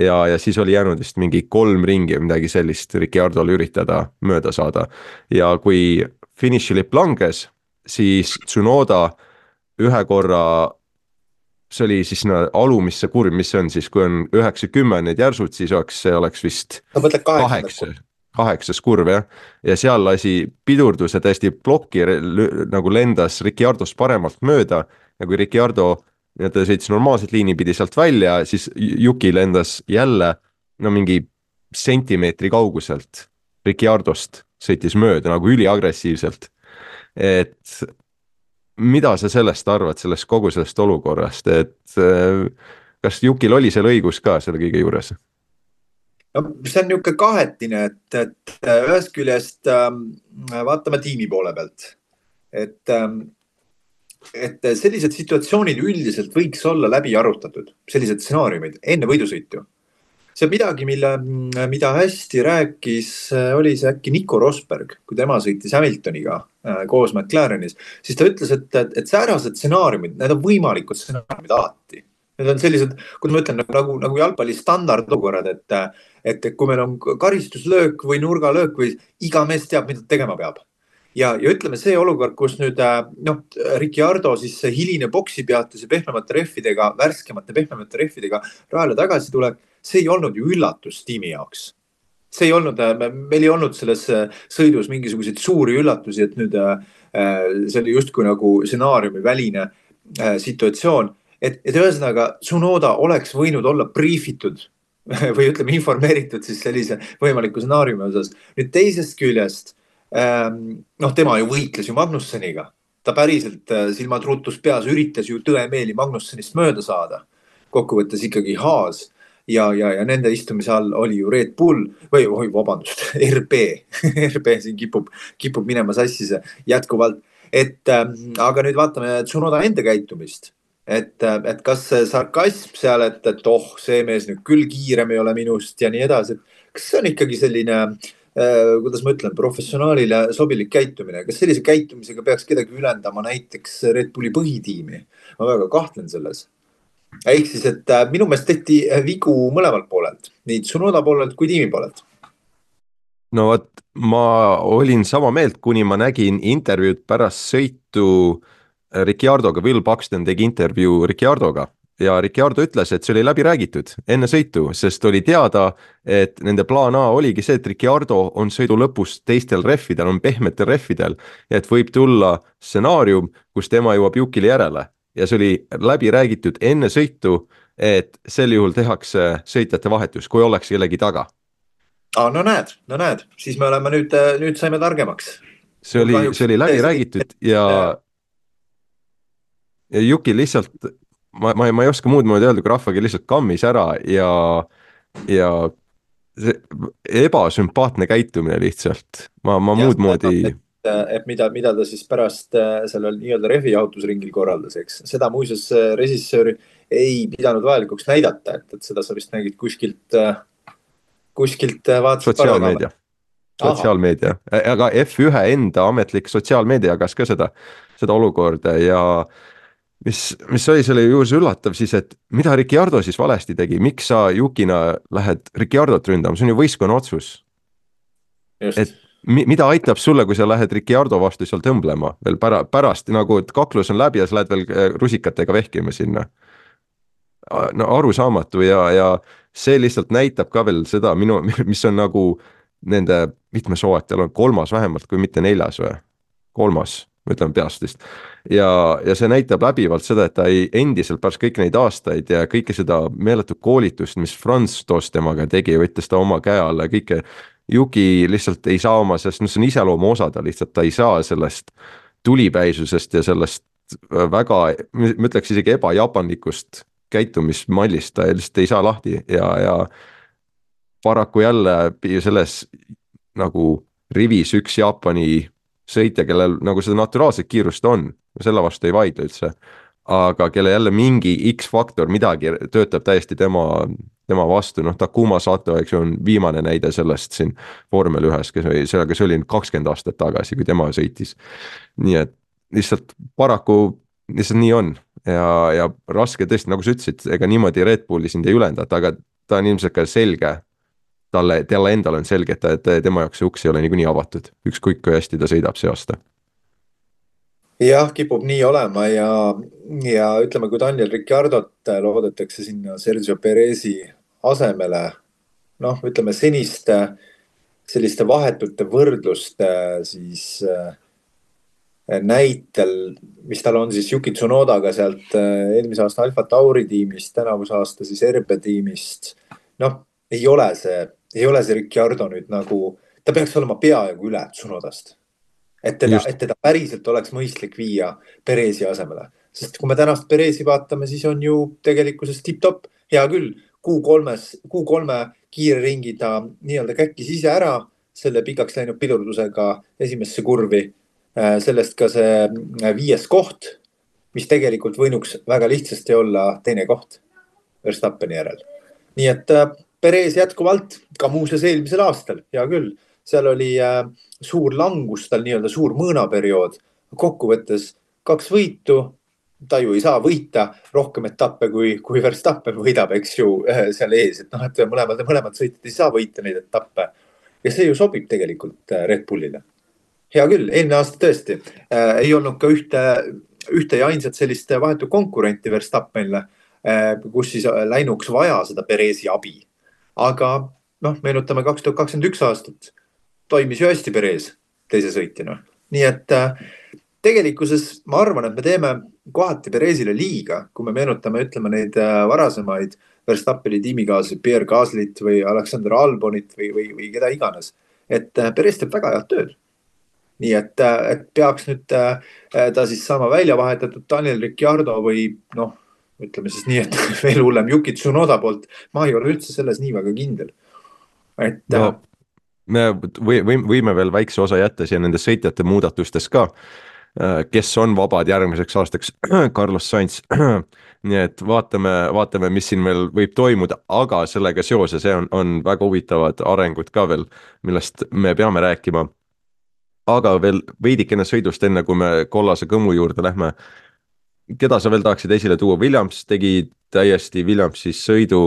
ja siis oli jäänud vist mingi 3 ringi või midagi sellist Ricciardole üritada mööda saada. Ja kui finišilipp langes, siis Tsunoda ühe korra, see oli siis alumisse kurv, mis see on siis, kui on 9-10 need järsud, siis see oleks vist 8. kurv jah, ja seal lasi pidurdus ja täiesti plokki nagu lendas Ricciardost paremalt mööda ja kui Ricciardo ta sõitis normaalselt liini pidi sealt välja, siis Yuki lendas jälle mingi sentimeetri kauguselt Ricciardost, sõitis mööda nagu üliagressiivselt. Et mida sa sellest arvad, kogu sellest olukorrast, et kas Yukil oli seal õigus ka selle kõige juures? No, see on niisugune kahetine, et ühest küljest vaatame tiimi poole pealt, et sellised situatsioonid üldiselt võiks olla läbi arutatud, sellised stsenaariumid enne võidusõitu. See on midagi, mida hästi rääkis, oli see äkki Nico Rosberg, kui tema sõitis Hamiltoniga koos McLarenis, siis ta ütles, et säärased stsenaariumid, need on võimalikud stsenaariumid alati. Need on sellised, kuidas ma ütlen, nagu jalgpalli standardolukorrad, et kui meil on karistuslöök või nurgalöök või iga mees teab, mida tegema peab. Ja ütleme see olukord, kus nüüd Ricciardo siis hiline boksi peatus ja värskemate pehmemate rehvidega rajale tagasi tuleb, see ei olnud ju üllatus tiimi jaoks. See ei olnud, meil ei olnud selles sõidus mingisuguseid suuri üllatusi, et nüüd see oli justkui nagu stsenaariumi väline situatsioon. Et ühesõnaga Tsunoda oleks võinud olla briifitud või ütleme informeeritud siis sellise võimaliku stsenaariumi osas. Nüüd teisest küljest tema ju võitles ju Magnusseniga. Ta päriselt silmad ruutus peas üritas ju tõemeeli Magnussenist mööda saada. Kokkuvõttes ikkagi Haas ja nende istumise all oli ju Red Bull RB. RB siin kipub minema sassise jätkuvalt. Aga nüüd vaatame Tsunoda enda käitumist. Et kas see sarkasm seal, et see mees nüüd küll kiirem ei ole minust ja nii edasi. Kas see on ikkagi selline kuidas ma ütlen, professionaalile sobilik käitumine. Kas sellise käitumisega peaks kedagi ülendama näiteks Red Bulli põhitiimi? Ma väga kahtlen selles. Ehk siis, et minu meelest tehti vigu mõlemalt poolelt, nii Tsunoda poolelt kui tiimi poolelt. No vot, ma olin sama meelt, kuni ma nägin intervjuud pärast sõitu Ricciardoga. Will Buxton tegi intervjuu Ricciardoga. Ja Ricciardo ütles, et see oli läbi räägitud enne sõitu, sest oli teada, et nende plaan A oligi see, et Ricciardo on sõidu lõpus teistel rehvidel, on pehmetel rehvidel, et võib tulla stsenaarium, kus tema jõuab Yukile järele. Ja see oli läbi räägitud enne sõitu, et sel juhul tehakse sõitjate vahetus, kui oleks kellegi taga. No näed, siis me oleme nüüd saime targemaks. See oli läbi räägitud ja Yukil lihtsalt ma ei oska muud moodi öelda, kui rahvagi lihtsalt kammis ära ja see ebasümpaatne käitumine lihtsalt. Ma muud moodi. Et mida ta siis pärast sellel nii-öelda refijahutusringil korraldas, eks. Seda muuseas režissööri ei pidanud vajalikuks näidata, et seda sa vist nägid kuskilt vaatasid sotsiaalmeedia. ahah, sotsiaalmeedia, aga F1 enda ametlik sotsiaalmeedia jagas ka seda olukorda ja mis oli selle juures üllatav siis, et mida Ricciardo siis valesti tegi, miks sa Yukina lähed Ricciardot ründama, see on ju võistkonna otsus. just. Et mida aitab sulle, kui sa lähed Ricciardo vastu seal tõmblema veel pärast nagu, et kaklus on läbi ja sa lähed veel rusikatega vehkima sinna. No arusaamatu ja see lihtsalt näitab ka veel seda mis on nagu nende mitmes hooaeg, tal on kolmas vähemalt, kui mitte neljas või? Kolmas, ma ütlen peast vist. Ja see näitab läbivalt seda, et ta ei endiselt pärast kõiki neid aastaid ja kõike seda meeletut koolitust, mis Franz Tost temaga tegi, võttis ta oma käe alla ja kõike. Yuki lihtsalt ei saa oma, sest see on iseloomu osa, ta lihtsalt ta ei saa sellest tulipäisusest ja sellest väga, ma ütleks isegi ebajaapanlikust käitumismallist, ta lihtsalt ei saa lahti ja paraku jälle selles nagu rivis üks Jaapani sõitja, kellel nagu seda naturaalset kiirust on, selle vastu ei vaidle üldse, aga kelle jälle mingi X-faktor, midagi töötab täiesti tema vastu, noh Takuma Sato, eks ju, on viimane näide sellest siin vormel ühes, kes oli 20 aastat tagasi, kui tema sõitis. Nii et lihtsalt paraku lihtsalt nii on ja raske tõesti, nagu sa ütlesid, ega niimoodi Red Bulli sind ei ülendata, aga ta on ilmselt ka selge, talle endal on selge, et tema jaoks see uks ei ole niikuinii avatud, ükskõik kui hästi ta sõidab see aasta. Jah, kipub nii olema ja ütleme, kui Daniel Ricciardot loodetakse sinna Sergio Perezi asemele, noh, ütleme selliste vahetute võrdluste siis näitel, mis tal on siis Yuki Tsunodaga sealt eelmise aasta Alfa Tauri tiimist, tänavuse aasta siis RB tiimist, noh, ei ole see Ricciardo nüüd nagu, ta peaks olema peaaegu üle Tsunodast. Et teda päriselt oleks mõistlik viia Perezi asemele. Sest kui me tänast Perezi vaatame, siis on ju tegelikkuses tip-top. Hea küll, Q3 kiire ringi ta nii-öelda käkkis ise ära selle pikaks läinud pidurdusega esimesse kurvi. Sellest ka see 5. koht, mis tegelikult võinuks väga lihtsasti olla teine koht Verstappeni järel. Nii et Perez jätkuvalt ka muuseas eelmisel aastal, hea küll, seal oli suur langus, tal nii-öelda suur mõõnaperiood, kokkuvõttes 2 võitu, ta ju ei saa võita rohkem etappe, kui Verstappen võidab, eks ju, seal ees, et noh, et mõlemad sõitjad ei saa võita neid etappe ja see ju sobib tegelikult Red Bullile. Hea küll, eelmine aasta tõesti ei olnud ka ühte ja ainsat sellist vahetu konkurenti Verstappenile, kus siis läinuks vaja seda Perezi abi. Aga noh, meenutame 2021 aastat, toimis ju hästi Perez teise sõitjana. Nii et tegelikkuses ma arvan, et me teeme kohati Perezile liiga, kui me meenutame, ütleme neid varasemaid Verstappeni tiimikaaslasi, Pierre Gaslyt või Alexander Albonit või keda iganes. Et Perez teeb väga head tööd. Nii et peaks nüüd ta siis saama välja vahetatud Daniel Ricciardo või noh, ütleme siis nii, et veel hullem Yuki Tsunoda poolt. Ma ei ole üldse selles nii väga kindel. Et no, me võime veel väikse osa jätta siia nende sõitjate muudatustes ka, kes on vabad järgmiseks aastaks, Carlos Sainz. Nii et vaatame, mis siin veel võib toimuda, aga sellega seoses on väga huvitavad arengud ka veel, millest me peame rääkima. Aga veel veidikene sõidust enne, kui me kollase kõmu juurde lähme. Keda sa veel tahaksid esile tuua? Williams tegi täiesti Williamsis sõidu,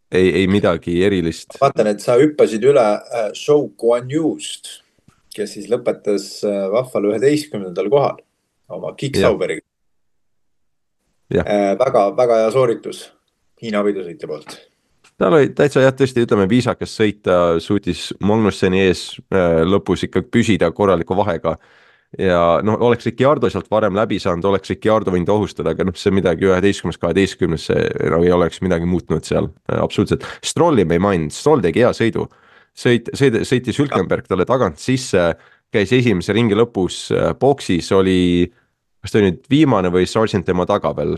ei midagi erilist. Vaatan, et sa hüppasid üle Zhou Guanyust, kes siis lõpetas vahval 11. kohal oma Kick-Sauberiga. Väga, väga hea sooritus Hiina võidusõitja poolt. Tal oli täitsa tõesti, ütleme, viisakas sõita, suutis Magnusseni ees lõpus ikka püsida korraliku vahega ja noh, oleks Ricciardo sealt varem läbi saanud, oleks Ricciardo võinud ohustada, aga noh, see midagi 11-12, see ei oleks midagi muutnud seal, absoluutselt. Strolli me ei maininud, Stroll tegi hea sõidu, sõitis Hülkenberg talle tagant sisse, käis esimese ringi lõpus boksis, oli, kas ta oli nüüd viimane või Sargent tema taga veel,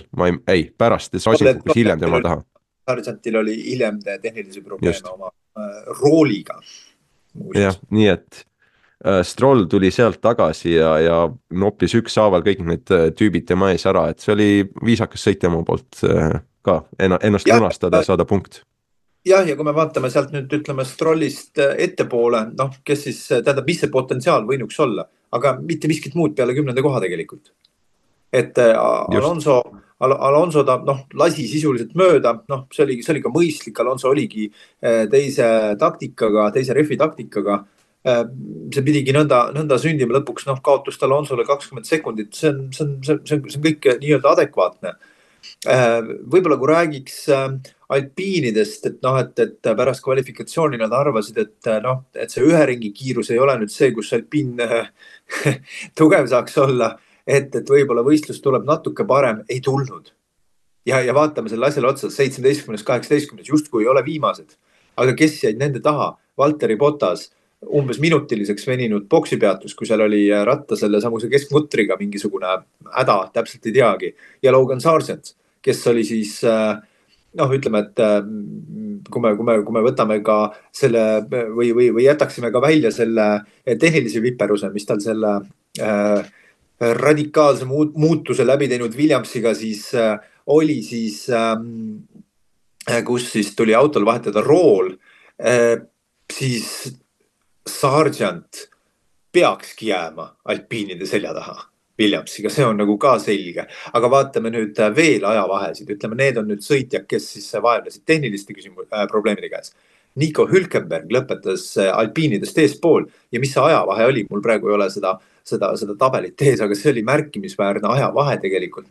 pärast, Sargent kukkus hiljem tema taha. Sargentil oli hiljem tehnilisi probleeme oma rooliga. Jah, nii et Stroll tuli sealt tagasi ja noppis ükshaaval kõik need tüübid tema ees ära, et see oli viisakas sõitja oma poolt ka ennast lunastada ja saada punkt. jah, ja kui me vaatame sealt nüüd ütleme Strollist ettepoole, noh, kes siis tähendab, mis see potentsiaal võinuks olla, aga mitte miskit muud peale 10. koha tegelikult. Et just. Alonso ta noh, lasi sisuliselt mööda, noh, see oli ka mõistlik, Alonso oligi teise taktikaga, teise refi taktikaga. See pidigi nõnda sündima lõpuks, noh, kaotus Alonsole 20 sekundit, see on kõik nii-öelda adekvaatne. Võib-olla kui räägiks alpiinidest, et noh, et pärast kvalifikatsiooni nad arvasid, et noh, et see ühe ringi kiirus ei ole nüüd see, kus alpiin tugev saaks olla, et võib-olla võistlus tuleb natuke parem, ei tulnud. Ja vaatame selle asjale otsa, 17, 18, justkui ei ole viimased, aga kes jäid nende taha? Valtteri Bottas, umbes minutiliseks veninud boksipeatus, kui seal oli ratta selle samuse keskmutriga mingisugune häda, täpselt ei teagi. Ja Logan Sargent, kes oli siis noh, ütleme, et kui me võtame ka selle või jätaksime ka välja selle tehnilise viperuse, mis tal selle radikaalse muutuse läbi teinud Williamsiga siis oli siis, kus siis tuli autol vahetada rool, siis Sargent peakski jääma alpiinide selja taha Williamsiga, see on nagu ka selge. Aga vaatame nüüd veel ajavahesid, ütleme, need on nüüd sõitjad, kes siis vaevlesid tehniliste probleemide käes. Nico Hülkenberg lõpetas alpiinidest eespool ja mis see ajavahe oli, mul praegu ei ole seda tabelit ees, aga see oli märkimisväärne ajavahe tegelikult,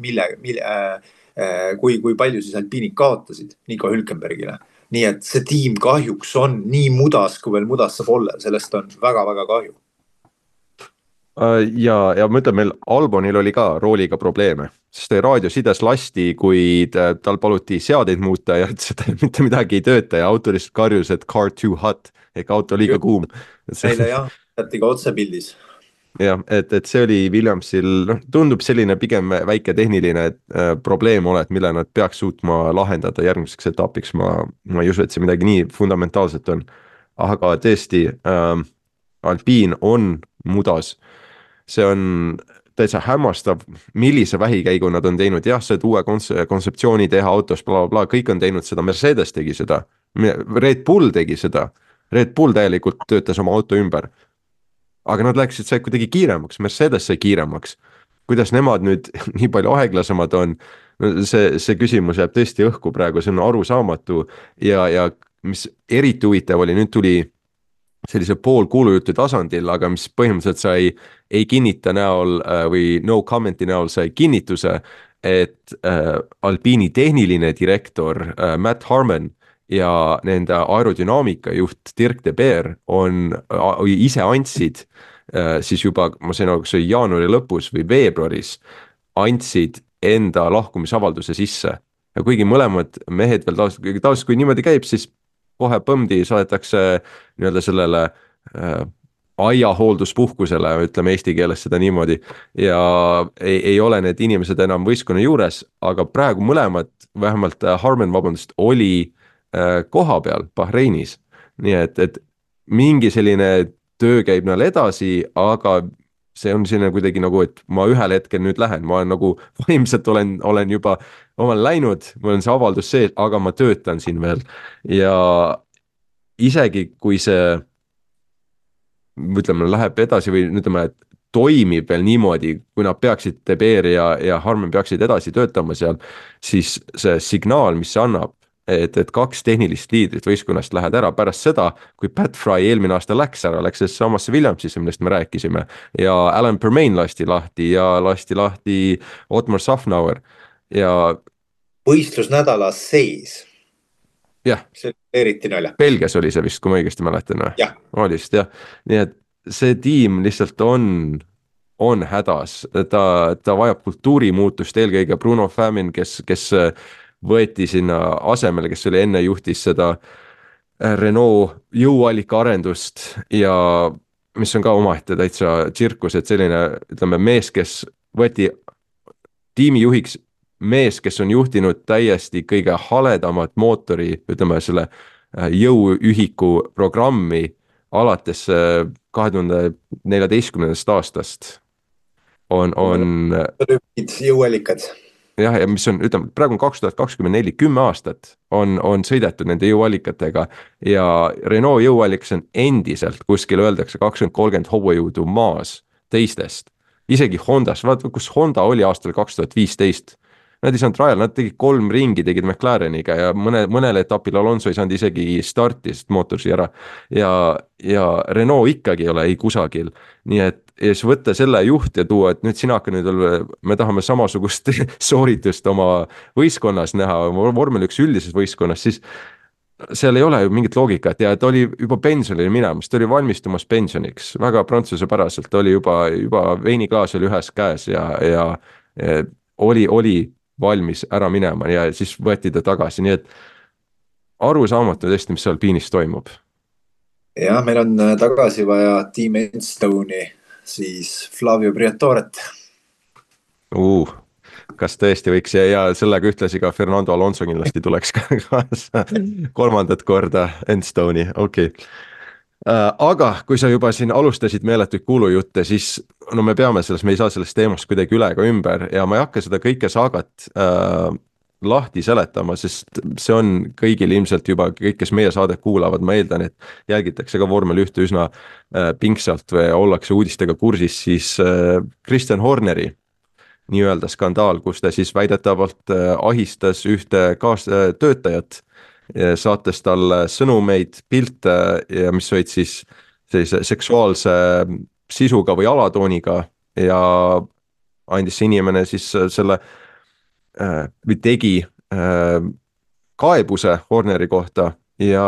kui palju siis alpiinid kaotasid Nico Hülkenbergile. Nii et see tiim kahjuks on nii mudas, kui veel mudas saab olla, sellest on väga-väga kahju. Ja ma ütlen, meil Albonil oli ka rooliga probleeme, sest raadiosides lasti, kui tal paluti seadeid muuta ja ütles, et mitte midagi ei tööta ja auto lihtsalt karjus, et car too hot ehk auto liiga kuum. Neile jah, jätti ka otsepildis. Jah, et see oli Williamsil, noh, tundub selline pigem väike tehniline probleem ole, et mille nad peaks suutma lahendada järgmiseks etapiks. Ma ei usu, et see midagi nii fundamentaalset on. Aga tõesti, alpiin on mudas. See on täitsa hämmastav, millise vähikäigu nad on teinud. Jah, see uue kontseptsiooni teha autos, kõik on teinud seda, Mercedes tegi seda, Red Bull tegi seda, Red Bull täielikult töötas oma auto ümber. Aga nad läksid sai kuidagi kiiremaks, Mercedes sai kiiremaks. Kuidas nemad nüüd nii palju aeglasemad on, see küsimus jääb tõesti õhku praegu, see on arusaamatu ja mis eriti huvitav oli, nüüd tuli sellise poolkuulujutu tasandil, aga mis põhimõtteliselt sai ei kinnita näol või no commenti näol sai kinnituse, et Alpiini tehniline direktor Matt Harmon ja nende aerodünaamika juht Dirk de Beer ise andsid siis juba, ma sain aru, kas see oli jaanuari lõpus või veebruaris, andsid enda lahkumisavalduse sisse. Ja kuigi mõlemad mehed veel tavaliselt, kui niimoodi käib, siis kohe põmdi saadetakse nii-öelda sellele aiahoolduspuhkusele, ütleme eesti keeles seda niimoodi, ja ei ole need inimesed enam võistkonna juures, aga praegu mõlemad, vähemalt Harmon, oli koha peal Bahreinis. Nii et mingi selline töö käib näil edasi, aga see on selline kuidagi nagu, et ma ühel hetkel nüüd lähen, ma olen nagu vaimselt olen juba omal läinud, mul on see avaldus sees, aga ma töötan siin veel. Ja isegi kui see, ütleme, läheb edasi või ütleme, et toimib veel niimoodi, kui nad peaksid, De Beer ja Harmon peaksid edasi töötama seal, siis see signaal, mis see annab, et kaks tehnilist liidrit võistkonnast lähed ära pärast seda, kui Pat Fry eelmine aasta läks samasse Williamsisse, millest me rääkisime, ja Alan Permain lasti lahti ja lasti lahti Otmar Safnauer ja võistlusnädala sees. Jah. See oli eriti naljakas. Belgias oli see vist, kui ma õigesti mäletan. Jah. Oli vist, jah. Nii et see tiim lihtsalt on hädas, ta vajab kultuurimuutust, eelkõige Bruno Famin, kes võeti sinna asemele, kes oli enne juhtis seda Renault jõuallika arendust ja mis on ka omaette täitsa tsirkus, et selline, ütleme, mees, kes võeti tiimijuhiks, mees, kes on juhtinud täiesti kõige haledamat mootori, ütleme selle jõuühiku programmi alates 2014. aastast on jõuallikad. jah, ja mis on, ütleme, praegu on 2024, 10 aastat on sõidetud nende jõuallikatega ja Renault jõuallikas on endiselt kuskil öeldakse 20-30 hobujõudu maas teistest. isegi Hondas, vaata kus Honda oli aastal 2015. Nad ei saanud rajal, nad tegid 3 ringi, tegid McLareniga ja mõnel etapil Alonso ei saanud isegi starti, sest mootor sai ära. ja Renault ikkagi ei ole ei kusagil, nii et ja siis võtta selle juht ja tuua, et nüüd sina hakka nüüd veel, me tahame samasugust sooritust oma võistkonnas näha, vormel 1 üldises võistkonnas, siis seal ei ole ju mingit loogikat ja ta oli juba pensionile minemas, ta oli valmistumas pensioniks, väga prantsusepäraselt, oli juba veiniklaas oli ühes käes ja oli valmis ära minema ja siis võeti ta tagasi, nii et arusaamatu tõesti, mis seal Alpinis toimub. jah, meil on tagasi vaja Team Enstone'i, siis Flavio Briatoret. Kas tõesti võiks ja sellega ühtlasi ka Fernando Alonso kindlasti tuleks ka kaasa 3. korda Enstone'i, okei. Aga kui sa juba siin alustasid meeletuid kuulujutte, siis no me ei saa sellest teemast kuidagi üle ega ümber ja ma ei hakka seda kõike saagat lahti seletama, sest see on kõigil ilmselt juba, kõik, kes meie saadet kuulavad, ma eeldan, et jälgitakse ka vormel 1 üsna pingsalt või ollakse uudistega kursis, siis Christian Horneri nii-öelda skandaal, kus ta siis väidetavalt ahistas ühte kaastöötajat, saates talle sõnumeid, pilte ja mis olid siis sellise seksuaalse sisuga või alatooniga ja andis see inimene siis selle või tegi kaebuse Horneri kohta ja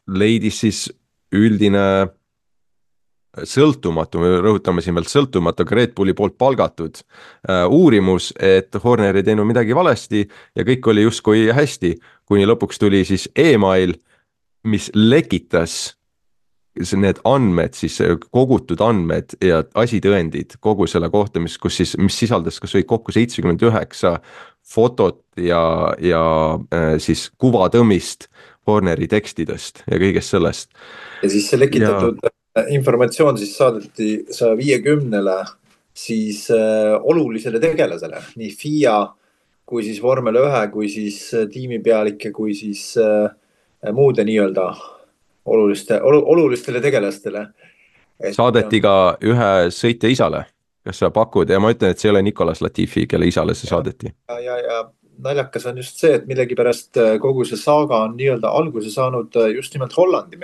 leidis siis üldine sõltumatu, me rõhutame siin veel sõltumatu, aga Red Bulli poolt palgatud uurimus, et Horner ei teinud midagi valesti ja kõik oli justkui hästi, kuni lõpuks tuli siis email, mis lekitas need andmed, siis kogutud andmed ja asitõendid kogu selle kohta, mis sisaldas kas või kokku 79 fotot ja siis kuvatõmmist Horneri tekstidest ja kõigest sellest. Ja siis see lekitatud informatsioon siis saadeti 150-le siis olulisele tegelasele, nii FIA kui siis vormel 1, kui siis tiimipealike, kui siis muude nii-öelda olulistele tegelastele. Saadeti ka ühe sõitja isale, kas sa pakud ja ma ütlen, et see ei ole Nicolas Latifi, kelle isale see saadeti. Ja naljakas on just see, et millegipärast kogu see saaga on nii-öelda alguse saanud just nimelt Hollandi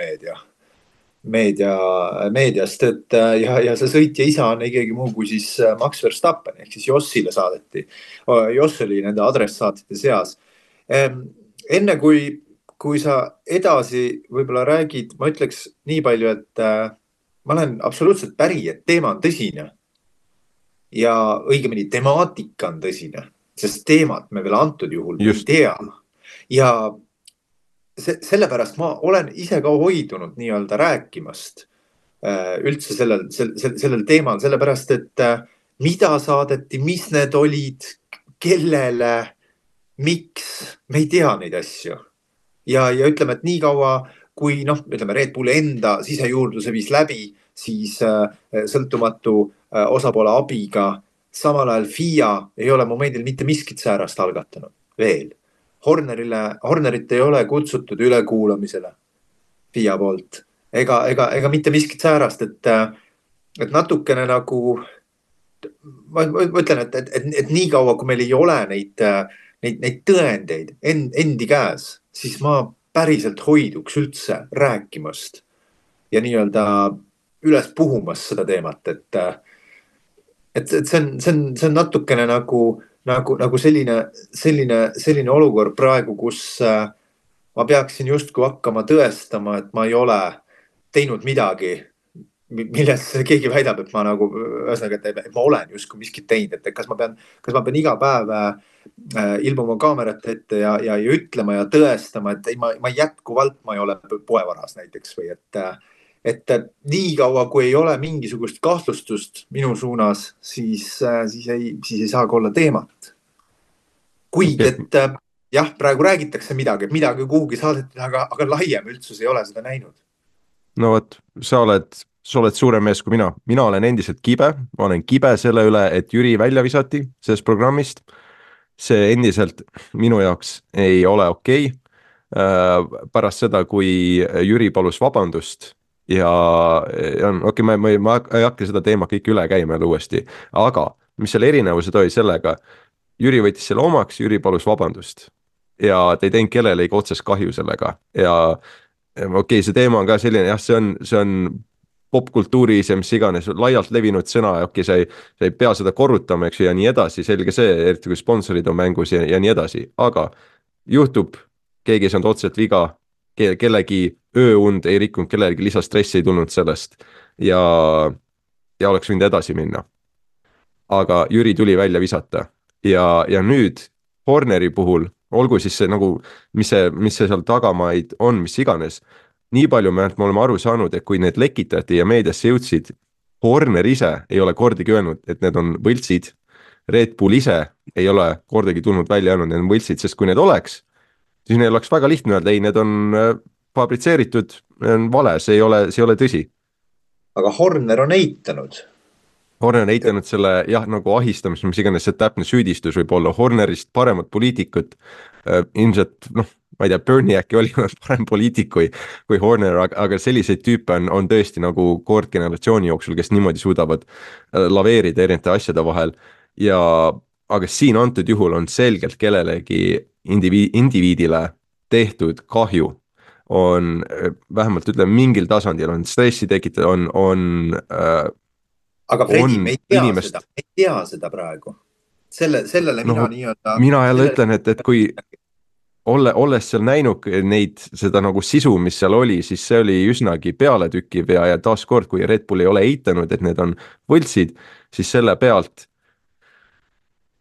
meediast, et ja see sõitja isa on ikkagi muu kui siis Max Verstappen ehk siis Jossile saadeti. Joss oli nende adressaatide seas. Enne kui sa edasi võib-olla räägid, ma ütleks nii palju, et ma olen absoluutselt päri, et teema on tõsine ja õigemini temaatika on tõsine, sest teemat me veel antud juhul ei tea ja sellepärast ma olen ise ka hoidunud nii-öelda rääkimast üldse sellel teemal, sellepärast et mida saadeti, mis need olid, kellele, miks, me ei tea neid asju. Ja ütleme, et nii kaua, kui ütleme Red Bulli enda sisejuurdluse viis läbi, siis sõltumatu osapoole abiga, samal ajal FIA ei ole momendil mitte miskit säärast algatanud veel. Hornerit ei ole kutsutud ülekuulamisele FIA poolt ega mitte miskit säärast, et natukene nagu ma ütlen, et nii kaua, kui meil ei ole neid tõendeid endi käes, siis ma päriselt hoiduks üldse rääkimast ja nii-öelda üles puhumas seda teemat, et see on natukene nagu selline olukord praegu, kus ma peaksin justkui hakkama tõestama, et ma ei ole teinud midagi, milles keegi väidab, et ma nagu, ühesõnaga, et ma olen justkui miskit teinud, et kas ma pean iga päev ilmuma kaamerate ette ja ütlema ja tõestama, et ma jätkuvalt ma ei ole poevaras näiteks või et nii kaua, kui ei ole mingisugust kahtlustust minu suunas, siis ei saa ka olla teemat. Kuid, et jah, praegu räägitakse midagi kuhugi saadeti, aga laiem üldsus ei ole seda näinud. No vot, sa oled suurem mees kui mina olen endiselt kibe, ma olen kibe selle üle, et Jüri välja visati sellest programmist see endiselt minu jaoks ei ole okei. Pärast seda, kui Jüri palus vabandust ja on okei, ma ei hakka seda teemat kõik üle käima jälle uuesti, aga mis selle erinevused oli sellega, Jüri võttis selle omaks, Jüri palus vabandust ja ta ei teinud kellelegi otsest kahju sellega ja okei, see teema on ka selline, jah, see on popkultuuris ja mis iganes laialt levinud sõna ja okei, sa ei pea seda korrutama, eks ju, ja nii edasi, selge see, eriti kui sponsorid on mängus ja nii edasi, aga juhtub, keegi ei saanud otseselt viga, kellegi ööund ei rikkunud, kellelegi lisastressi ei tulnud sellest ja oleks võinud edasi minna. Aga Jüri tuli välja visata ja nüüd Horneri puhul, olgu siis see nagu, mis see seal tagamaid on, mis iganes, nii palju me oleme aru saanud, et kui need lekitati ja meediasse jõudsid, Horner ise ei ole kordagi öelnud, et need on võltsid, Red Bull ise ei ole kordagi tulnud välja öelnud, need on võltsid, sest kui need oleks, siis neil oleks väga lihtne öelda, ei, need on fabritseeritud, vale, see ei ole tõsi. aga Horner on eitanud. Horner on eitanud selle jah, nagu ahistamist, mis iganes see täpne süüdistus võib olla, Hornerist paremat poliitikut, ilmselt noh, ma ei tea, Bernie äkki oli parem poliitik kui Horner, aga selliseid tüüpe on tõesti nagu kord generatsiooni jooksul, kes niimoodi suudavad laveerida erinevate asjade vahel ja aga siin antud juhul on selgelt kellelegi indiviidile tehtud kahju, on vähemalt ütleme mingil tasandil on stressi tekitatud, aga Fredi, me ei tea inimest... seda, me ei tea seda praegu. Sellele no, mina nii-öelda... Mina jälle ütlen, et kui olles seal näinud seda nagu sisu, mis seal oli, siis see oli üsnagi pealetükkiv ja taaskord, kui Red Bull ei ole eitanud, et need on võltsid, siis selle pealt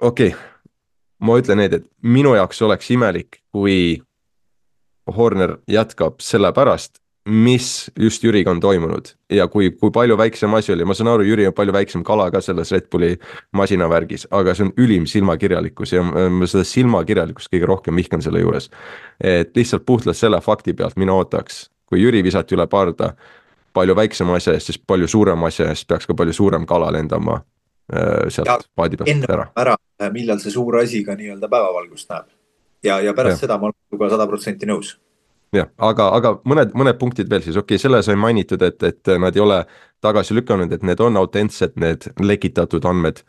okei, ma ütlen need, et minu jaoks oleks imelik, kui Horner jätkab selle pärast, mis just Jüriga on toimunud ja kui palju väiksem asi oli, ma saan aru, Jüri on palju väiksem kala ka selles Red Bulli masinavärgis, aga see on ülim silmakirjalikkus ja ma seda silmakirjalikkust kõige rohkem vihkan selle juures. Et lihtsalt puhtalt selle fakti pealt mina ootaks, kui Jüri visati üle parda palju väiksem asja eest, siis palju suurem asja eest peaks ka palju suurem kala lendama sealt paadi pealt ära. Millal see suur asi ka nii-öelda päevavalgust näeb ja pärast seda ma olen juba 100% nõus. Jah, aga mõned punktid veel siis, okei, selle sai mainitud, et nad ei ole tagasi lükanud, et need on autentsed, need lekitatud andmed.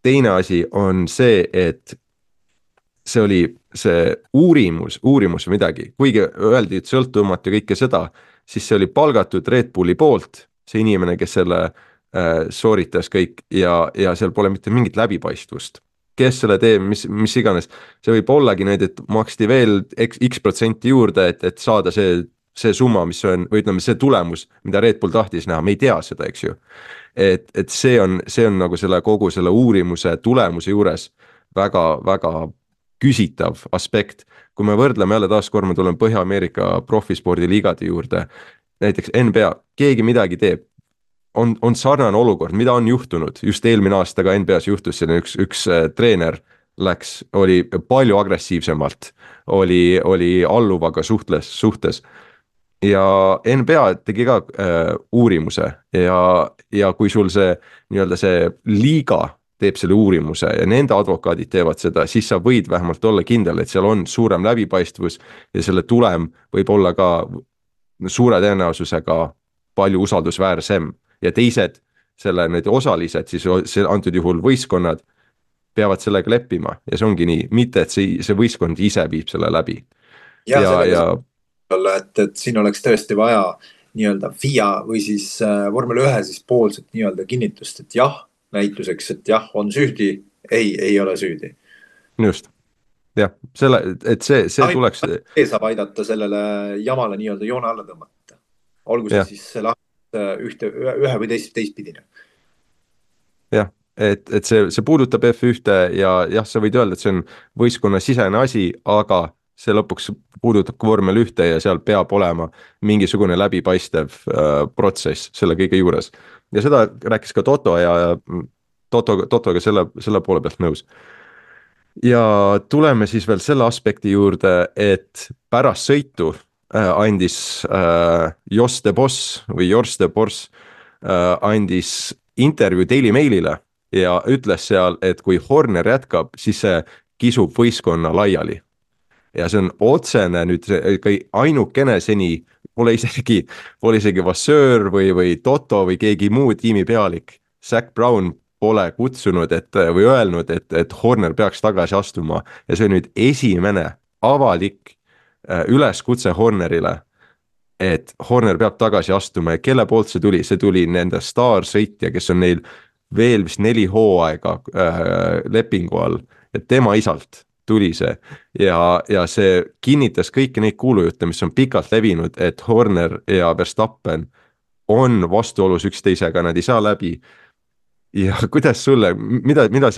Teine asi on see, et see oli see uurimus või midagi, kuigi öeldi, et sõltumatu ja kõike seda, siis see oli palgatud Red Bulli poolt, see inimene, kes selle sooritas kõik ja seal pole mitte mingit läbipaistvust. Kes selle teeb, mis iganes, see võib ollagi need, et maksti veel x% juurde, et saada see summa, mis on, või ütleme, see tulemus, mida Red Bull tahtis näha, me ei tea seda, eks ju. Et see on nagu kogu selle uurimuse tulemuse juures väga küsitav aspekt. Kui me võrdleme jälle taaskord, me tuleme Põhja-Ameerika profespordiliigade juurde, näiteks NBA, keegi midagi teeb, on sarnane olukord, mida on juhtunud, just eelmine aasta ka NBA-s juhtus selline üks treener oli palju agressiivsemalt, oli alluvaga suhtes ja NBA tegi ka uurimuse ja kui sul see nii-öelda see liiga teeb selle uurimuse ja nende advokaadid teevad seda, siis sa võid vähemalt olla kindel, et seal on suurem läbipaistvus ja selle tulem võib olla ka suure tõenäosusega palju usaldusväärsem. Ja teised, need osalised, siis antud juhul võistkonnad peavad sellega leppima ja see ongi nii, mitte et see võistkond ise viib selle läbi. Et siin oleks tõesti vaja nii-öelda FIA või siis vormel 1 siis poolset nii-öelda kinnitust, et jah, näituseks, et jah, on süüdi, ei ole süüdi. Just, jah, et see tuleks... See saab aidata sellele jamale nii-öelda joone alla tõmmata. Olgu see siis ühe või teistpidine. Jah, et see puudutab F1 ja jah, sa võid öelda, et see on võistkonna sisene asi, aga see lõpuks puudutab vormel 1 ja seal peab olema mingisugune läbipaistev protsess selle kõige juures. Ja seda rääkis ka Toto ja Totoga selle poole pealt nõus. Ja tuleme siis veel selle aspekti juurde, et pärast sõitu andis Jos de Boss andis intervjuu Daily Mailile ja ütles seal, et kui Horner jätkab, siis see kisub võistkonna laiali. Ja see on otsene nüüd ainukene seni, pole isegi Vasseur või Toto või keegi muu tiimi pealik. Zac Brown pole kutsunud või öelnud, et Horner peaks tagasi astuma ja see on nüüd esimene avalik üleskutse Hornerile, et Horner peab tagasi astuma ja kelle poolt see tuli nende staarsõitja, kes on neil veel vist 4 hooaega lepingu all ja tema isalt tuli see ja see kinnitas kõiki neid kuulujutte, mis on pikalt levinud, et Horner ja Verstappen on vastuolus üksteisega, nad ei saa läbi. Ja kuidas sulle,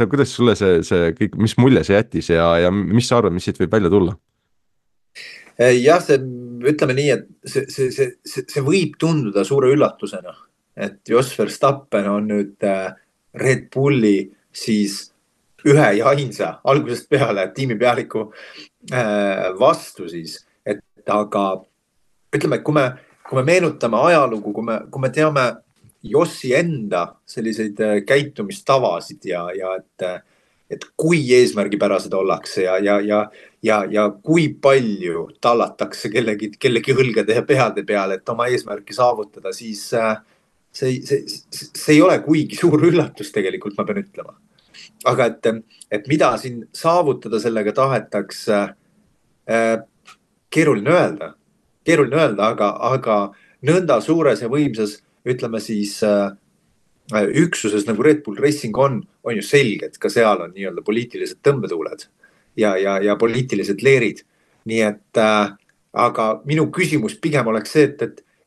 kuidas sulle see kõik, mis mulje see jättis ja mis sa arvad, mis siit võib välja tulla? Jah, ütleme nii, et see võib tunduda suure üllatusena, et Jos Verstappen on nüüd Red Bulli siis ühe ja ainsa algusest peale tiimi pealiku vastu siis, et aga ütleme, kui me meenutame ajalugu, kui me teame Jossi enda selliseid käitumistavasid ja et kui eesmärgipärased ollakse ja kui palju tallatakse kellegi õlgade ja peade peale, et oma eesmärki saavutada, siis see ei ole kuigi suur üllatus tegelikult, ma pean ütlema. Aga et mida siin saavutada sellega tahetakse, keeruline öelda, aga nõnda suures ja võimsas, ütleme siis üksuses nagu Red Bull Racing on ju selge, et ka seal on nii-öelda poliitilised tõmbetuuled ja poliitilised leerid. Nii et, aga minu küsimus pigem oleks see,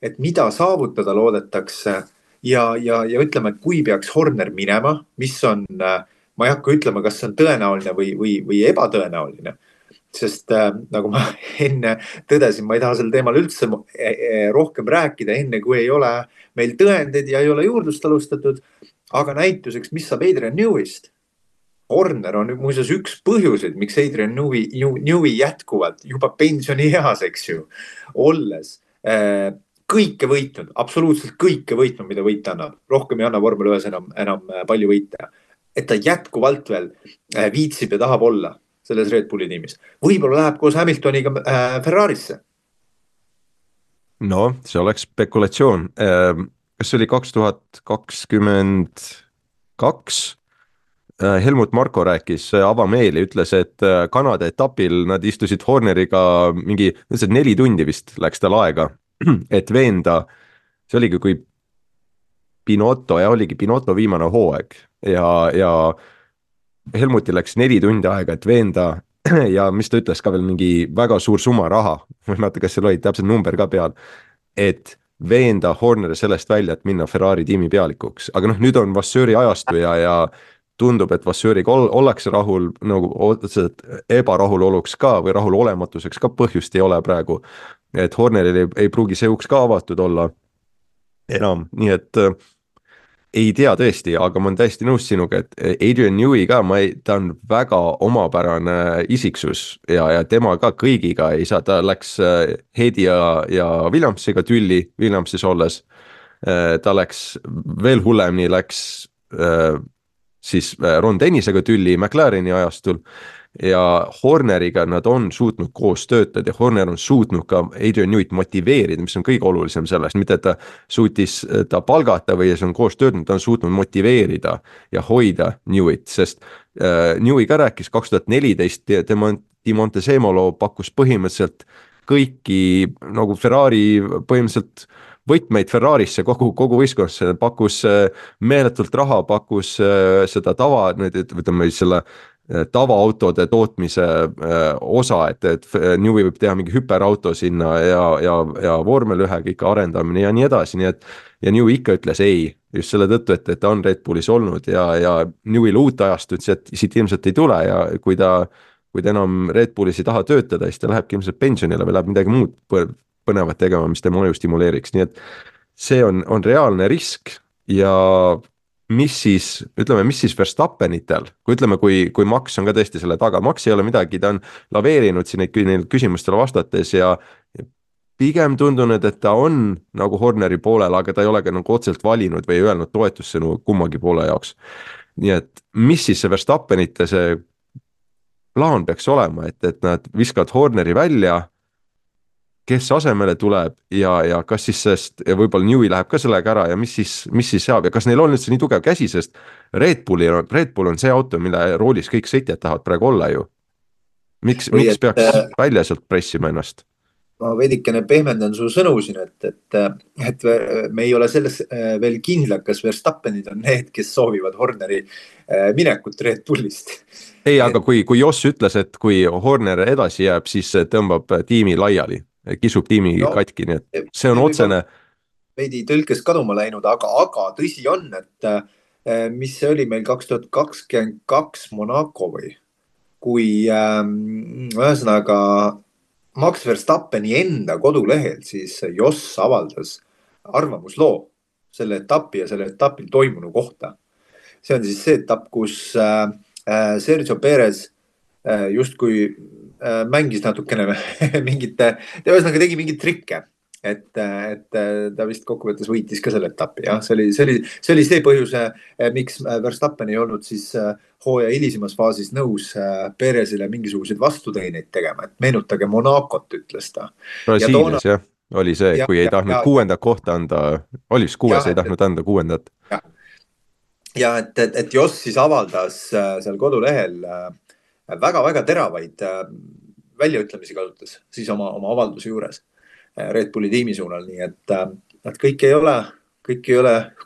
et mida saavutada loodetakse ja ütleme, kui peaks Horner minema, mis on, ma ei hakka ütlema, kas see on tõenäoline või ebatõenäoline. Sest nagu ma enne tõdesin, ma ei taha sel teemal üldse rohkem rääkida, enne kui ei ole meil tõendeid ja ei ole juurdlust alustatud. Aga näituseks, mis saab Adrian Newey'st? Horner on muuseas üks põhjuseid, miks Adrian Newey jätkuvalt juba pensionieas, eks ju, olles kõike võitnud, absoluutselt kõike võitnud, mida võita annab. Rohkem ei anna Formula 1 enam palju võita. Et ta jätkuvalt veel viitsib ja tahab olla selles Red Bulli tiimis. Võib-olla läheb koos Hamiltoniga Ferrarisse. No, see oleks spekulatsioon. Kas see oli 2022? Helmut Marko rääkis avameeli, ütles, et Kanada etapil nad istusid Horneriga mingi 4 tundi vist läks tal aega, et veenda, see oligi kui Binotto viimane hooaeg ja Helmutil läks 4 tundi aega, et veenda ja mis ta ütles ka veel mingi väga suur summa raha, vaata kas seal oli täpselt number ka peal, et veenda Horneri sellest välja, et minna Ferrari tiimi pealikuks. Aga nüüd on Vasseuri ajastu ja tundub, et Vasseuriga ollakse rahul, nagu otseselt ebarahuloluks ka või rahulolematuseks ka põhjust ei ole praegu. Et Horneril ei pruugi see uks ka avatud olla enam, nii et ei tea tõesti, aga ma olen täiesti nõus sinuga, et Adrian Newey ka, ta on väga omapärane isiksus ja tema ka kõigiga ei saa, ta läks Heidi ja Williamsiga tülli, Williamsis olles, ta läks veel hullemini, läks siis Ron Dennisega tülli McLareni ajastul ja Horneriga nad on suutnud koos töötada ja Horner on suutnud ka Adrian Neweyt motiveerida, mis on kõige olulisem sellest, mitte et ta suutis ta palgata või see on koos töötanud, ta on suutnud motiveerida ja hoida Neweyt, sest Newey ka rääkis 2014, Di Montezemolo pakkus põhimõtteliselt kõiki nagu Ferrari põhimõtteliselt võtmeid Ferrarisse kogu võistkonnasse, pakkus meeletult raha, pakkus seda ütleme selle tavaautode tootmise osa, et Newey võib teha mingi hüperauto sinna ja vormel 1 ikka arendamine ja nii edasi, nii et ja Newey ikka ütles ei, just selle tõttu, et ta on Red Bullis olnud ja Newey'l uut ajast ütles, et siit ilmselt ei tule ja kui ta enam Red Bullis ei taha töötada, siis ta lähebki ilmselt pensionile või läheb midagi muud põnevat tegema, mis tema aju stimuleeriks, nii et see on reaalne risk ja mis siis Verstappenitel, kui Max on ka tõesti selle taga, Max ei ole midagi, ta on laveerinud siin neid küsimustele vastates ja pigem tundunud, et ta on nagu Horneri poolel, aga ta ei ole ka nagu otselt valinud või öelnud toetussõnu kummagi poole jaoks. nii et mis siis see Verstappenite see plaan peaks olema, et nad viskavad Horneri välja, kes asemele tuleb ja kas siis sest ja võib-olla Newey läheb ka sellega ära ja mis siis saab ja kas neil on üldse nii tugev käsi, sest Red Bull on see auto, mille roolis kõik sõitjad tahavad praegu olla ju. või Miks peaks välja sealt pressima ennast? ma veidikene pehmendan su sõnu siin, et me ei ole selles veel kindlad, kas Verstappenid on need, kes soovivad Horneri minekut Red Bullist. Ei, aga kui Joss ütles, et kui Horner edasi jääb, siis tõmbab tiimi laiali, kisub tiimi katki, nii et see on otsene. Veidi tõlkes kaduma läinud, aga tõsi on, et mis see oli meil 2022 Monaco või? Kui ühesõnaga Max Verstappeni enda kodulehel siis Joss avaldas arvamusloo selle etapi ja selle etapil toimunu kohta. See on siis see etapp, kus Sergio Perez justkui mängis natukene mingite, ta ühesõnaga tegi mingeid trikke, et ta vist kokkuvõttes võitis ka selle etapi. Ja? See oli see põhjus, miks Verstappen ei olnud siis hooaja hilisemas faasis nõus Perezile mingisuguseid vastuteeneid tegema, et meenutage Monacot, ütles ta. Brasiilias jah, oli see, kui ei tahtnud kuuendat kohta anda, oli vist kuues, ei tahtnud anda kuuendat. Ja et Joss siis avaldas seal kodulehel väga-väga teravaid väljaütlemisi kasutas siis oma avalduse juures Red Bulli tiimi suunal, nii et kõik ei ole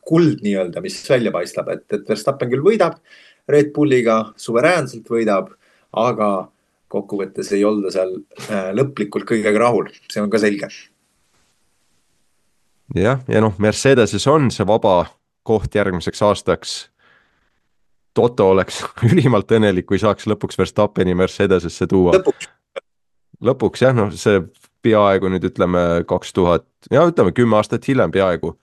kuld nii-öelda, mis välja paistab, et Verstappen küll võidab Red Bulliga, suveräänselt võidab, aga kokkuvõttes ei olda seal lõplikult kõigega rahul, see on ka selge. Jah, ja noh, Mercedeses on see vaba koht järgmiseks aastaks. Toto oleks ülimalt õnnelik, kui saaks lõpuks Verstappeni Mercedesesse tuua. Lõpuks jah, noh see peaaegu nüüd ütleme 2000, ja ütleme 10 aastat hiljem peaaegu,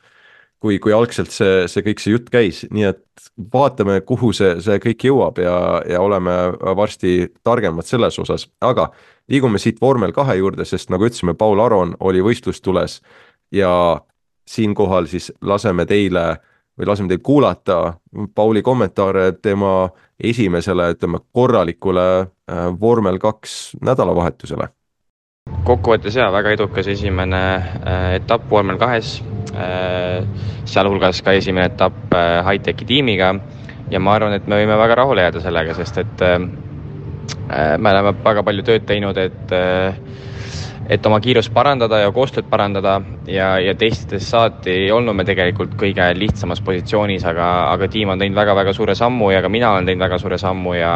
kui algselt see kõik see jutt käis, nii et vaatame, kuhu see kõik jõuab ja oleme varsti targemad selles osas, aga liigume siit vormel 2 juurde, sest nagu ütlesime, Paul Aron oli võistlustules ja siinkohal siis laseme teil kuulata Pauli kommentaare tema esimesele, ütleme, korralikule vormel 2 nädalavahetusele. Kokkuvõttes väga edukas esimene etapp vormel 2, sealhulgas ka esimene etapp High-Techi tiimiga ja ma arvan, et me võime väga rahule jääda sellega, sest et me oleme väga palju tööd teinud, et oma kiirust parandada ja koostööd parandada ja testides saati ei olnud me tegelikult kõige lihtsamas positsioonis, aga tiim on teinud väga-väga suure sammu ja ka mina olen teinud väga suure sammu ja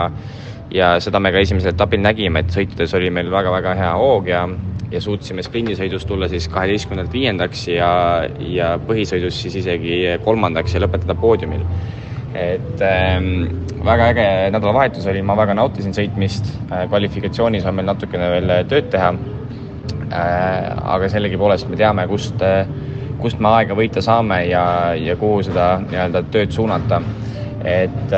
seda me ka esimesel etapil nägime, et sõitudes oli meil väga-väga hea hoog ja suutsime sprindisõidus tulla siis 12. 5. ja põhisõidus siis isegi 3. ja lõpetada poodiumil. Et väga äge nädalavahetus oli, ma väga nautisin sõitmist, kvalifikatsioonis on meil natukene veel tööd teha, aga sellegipoolest me teame, kust me aega võita saame ja kuhu seda nii-öelda tööd suunata. Et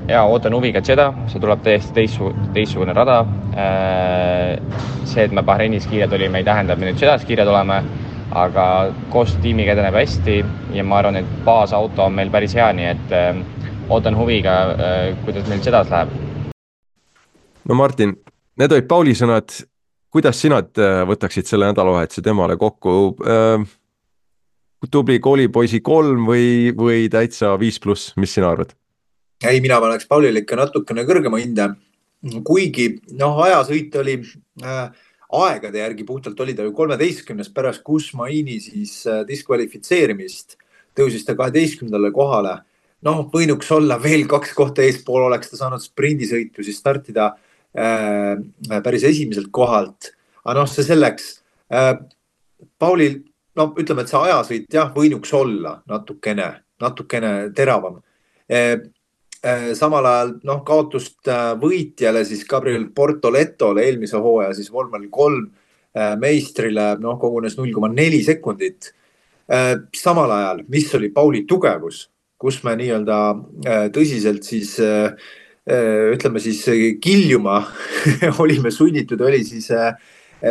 ootan huviga Jeddah, see tuleb täiesti teistsugune rada. See, et me Bahreinis kiired olime, ei tähenda, et me nüüd Jeddahs kiired oleme, aga koostöö tiimiga edeneb hästi ja ma arvan, et baasauto on meil päris hea, nii et ootan huviga, kuidas meil Jeddahs läheb. No Martin, need olid Pauli sõnad. Kuidas sina võtaksid selle nädalavahetuse temale kokku? Tubli koolipoisi 3 või täitsa 5+, mis sina arvad? Ei, mina paneks Paulile ikka natukene kõrgema hinde. Kuigi ajasõit oli aegade järgi puhtalt oli ta ju 13. pärast Kusmaini siis diskvalifitseerimist. Tõusis ta 12. kohale. Võinuks olla veel 2 kohta eespool, oleks ta saanud sprindisõitu siis startida päris esimeselt kohalt. Aga see selleks. Paulil, ütleme, et see ajasõit võinuks olla natukene teravam. Samal ajal kaotust võitjale siis Gabriel Bortoletole eelmise hooaja siis vormel 3 meistrile kogunes 0,4 sekundit. Samal ajal, mis oli Pauli tugevus, kus me nii-öelda tõsiselt siis ütleme siis kiljuma olime sunnitud, oli siis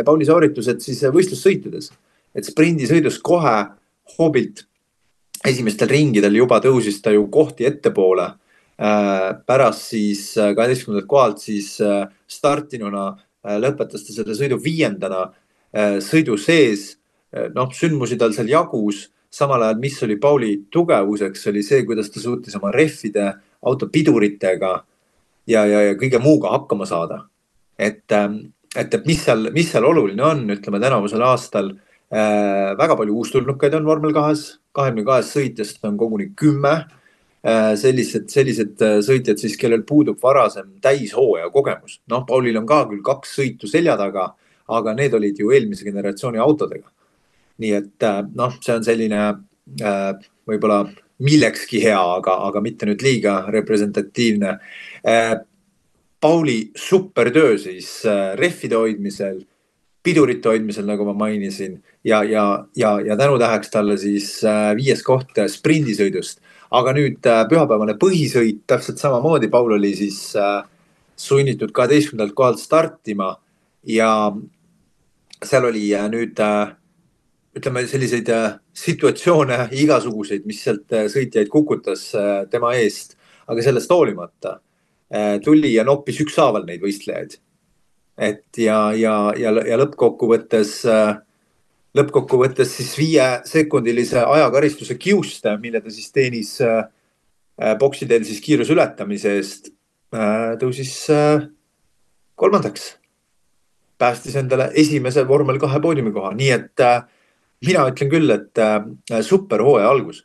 Pauli sooritused siis võistlussõitudes. Et sprindisõidus kohe hoobilt esimestel ringidel juba tõusis ta ju kohti ettepoole pärast siis 12. kohalt siis startinuna lõpetas ta selle sõidu 5. sõidu sees. Noh, sündmusi tal seal jagus, samal ajal, mis oli Pauli tugevuseks, oli see, kuidas ta suutis oma rehvide, auto piduritega ja kõige muuga hakkama saada. Et mis seal oluline on, ütleme tänavusel aastal väga palju uustulnukaid on vormel 2-s, 22 sõitjast on koguni 10. Sellised sõitjad siis, kellel puudub varasem täishooaja kogemus. Noh, Paulil on ka küll 2 sõitu selja taga, aga need olid ju eelmise generatsiooni autodega. Nii et noh, see on selline võib-olla millekski hea, aga mitte nüüd liiga representatiivne. Pauli supertöö siis rehvide hoidmisel, pidurite hoidmisel, nagu ma mainisin, ja tänutäheks talle siis 5. koht sprindisõidust. Aga nüüd pühapäevane põhisõit täpselt samamoodi. Paul oli siis sunnitud 12. kohalt startima ja seal oli nüüd ütleme selliseid situatsioone igasuguseid, mis sealt sõitjaid kukutas tema eest, aga sellest hoolimata tuli ja noppis ükshaaval neid võistlejaid. Et ja lõppkokkuvõttes siis 5-sekundilise ajakaristuse kiuste, mille ta siis teenis boksiteel siis kiiruse ületamise eest, tõusis 3. Päästis endale esimese vormel 2 poodiumikoha. Nii et mina ütlen küll, et super hooaja algus.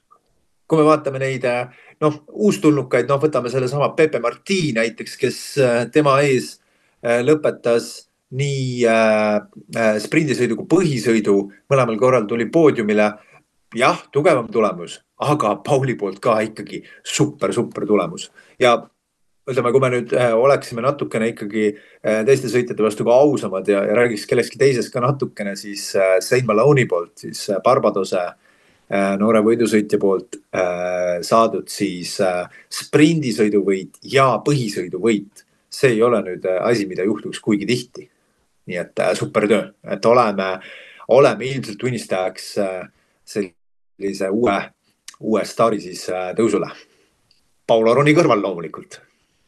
Kui me vaatame neid uustulnukaid, võtame selle sama Pepe Marti näiteks, kes tema ees lõpetas nii sprindisõidu kui põhisõidu. Mõlemal korral tuli poodiumile. Jah, tugevam tulemus, aga Pauli poolt ka ikkagi super tulemus. Ja ütleme, kui me nüüd oleksime natukene ikkagi teiste sõitjate vastu ka ausamad ja räägiks kellekski teises ka natukene, siis Shane Maloney poolt, siis Barbadose noore võidusõitja poolt saadud siis sprindisõiduvõit ja põhisõiduvõit. See ei ole nüüd asi, mida juhtuks kuigi tihti. Nii et super töö, et oleme ilmselt tunnistajaks sellise uue staari siis tõusule. Paul Aroni kõrval loomulikult.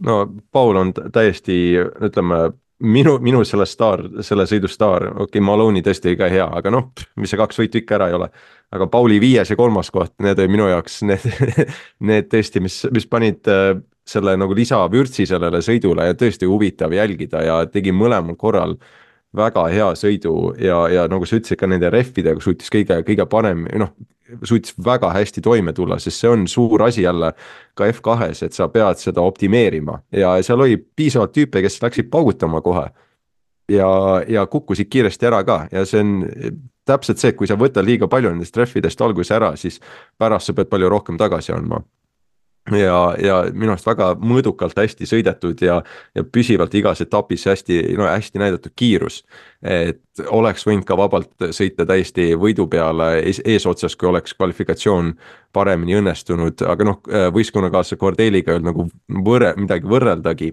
No Paul on täiesti, ütleme, minu selle sõidu staar, Maloney tõesti ka hea, aga mis see 2 võitu ikka ära ei ole. Aga Pauli 5. ja 3. koht, need oli minu jaoks need tõesti, mis panid selle nagu lisavürtsi sellele sõidule ja tõesti huvitav jälgida ja tegi mõlemal korral väga hea sõidu ja nagu sa ütlesid ka nende rehvidega suutis kõige parem, suutis väga hästi toime tulla, sest see on suur asi jälle ka F2-s, et sa pead seda optimeerima ja seal oli piisavalt tüüpe, kes läksid paugutama kohe ja kukkusid kiiresti ära ka ja see on täpselt see, et kui sa võtad liiga palju nendest rehvidest alguses ära, siis pärast sa pead palju rohkem tagasi andma. Ja minu arust väga mõõdukalt hästi sõidetud ja püsivalt igas etapis hästi näidatud kiirus, et oleks võinud ka vabalt sõita täiesti võidu peale eesotsas, kui oleks kvalifikatsioon paremini õnnestunud, aga võistkonnakaasa Cordeliga ei olnud nagu midagi võrreldagi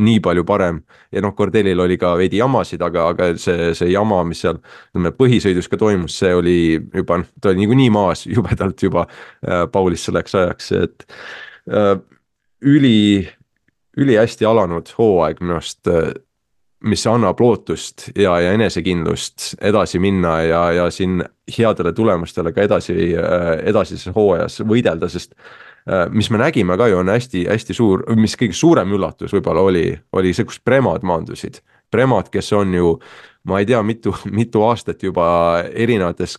nii palju parem ja Cordelil oli ka veidi jamasid, aga see jama, mis seal põhisõidus ka toimus, see oli juba, ta oli niikuinii maas jubedalt juba Paulis selleks ajaks, et üli hästi alanud hooaeg minu arust, mis annab lootust ja enesekindlust edasi minna ja siin headele tulemustele ka edasises hooajas võidelda, sest mis me nägime ka ju on hästi suur, mis kõige suurem üllatus võib-olla oli see, kus Premad maandusid. Premad, kes on ju, ma ei tea, mitu aastat juba erinevates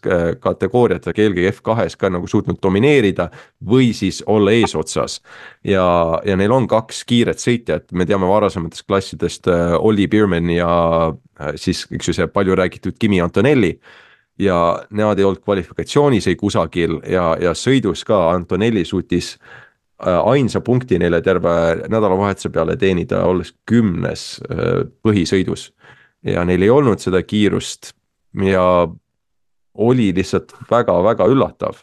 kategooriates, eelkõige F2-s ka nagu suutnud domineerida või siis olla eesotsas. Ja neil on 2 kiiret sõitjat, me teame varasematest klassidest Olli Biermann ja siis üks see palju räägitud Kimi Antonelli. Ja nemad ei olnud kvalifikatsioonis ei kusagil ja sõidus ka Antonelli suutis ainsa punkti neile terve nädalavahetuse peale teenida, olles 10. põhisõidus. Ja neil ei olnud seda kiirust ja oli lihtsalt väga üllatav.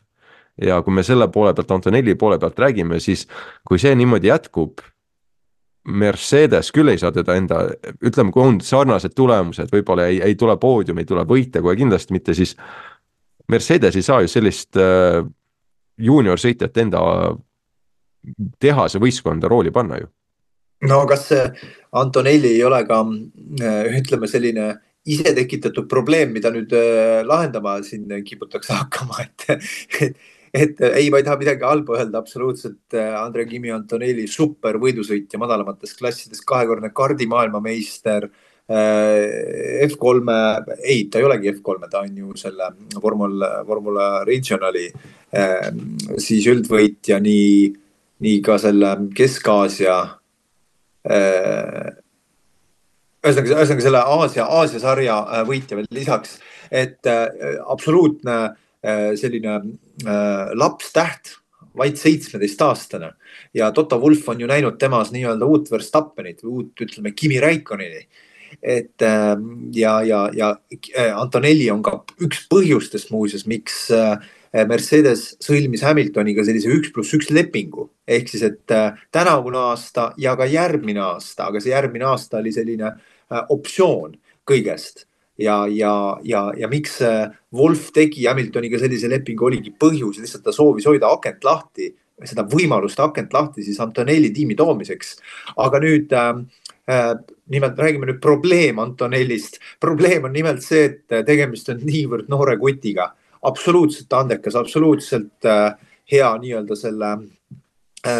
Ja kui me selle poole pealt, Antonelli poole pealt räägime, siis kui see niimoodi jätkub, Mercedes küll ei saa teda ütleme, kui on sarnased tulemused, võib-olla ei tule poodium, ei tule võite, kui kindlasti mitte, siis Mercedes ei saa ju sellist juunior sõitjat enda tehase võistkonda rooli panna ju. No kas Antonelli ei ole ka, ütleme, selline ise tekitatud probleem, mida nüüd lahendama siin kiputakse hakkama, et ei, ma ei taha midagi halba öelda, absoluutselt Andre Kimi Antonelli super võidusõitja madalamates klassides, 2-kordne kardi maailmameister, F3, ei, ta ei olegi F3, ta on ju selle Formula Regionali siis üldvõitja, nii ka selle Kesk-Aasia ühesõnaga selle Aasia sarja võitja veel lisaks, et absoluutne selline lapstäht, vaid 17-aastane ja Toto Wolff on ju näinud temas nii-öelda uut Verstappenit või uut, ütleme, Kimi Räikköneni. Et ja Antonelli on ka üks põhjustest muuseas, miks Mercedes sõlmis Hamiltoniga sellise 1+1 lepingu. Ehk siis, et tänavune aasta ja ka järgmine aasta, aga see järgmine aasta oli selline optsioon kõigest. Ja miks Wolff tegi Hamiltoniga sellise lepingu oligi põhjus, lihtsalt ta soovis hoida akent lahti, seda võimalust akent lahti siis Antonelli tiimi toomiseks. Aga nüüd nimelt räägime nüüd probleem Antonellist. Probleem on nimelt see, et tegemist on niivõrd noore kutiga. Absoluutselt andekas, absoluutselt hea nii-öelda selle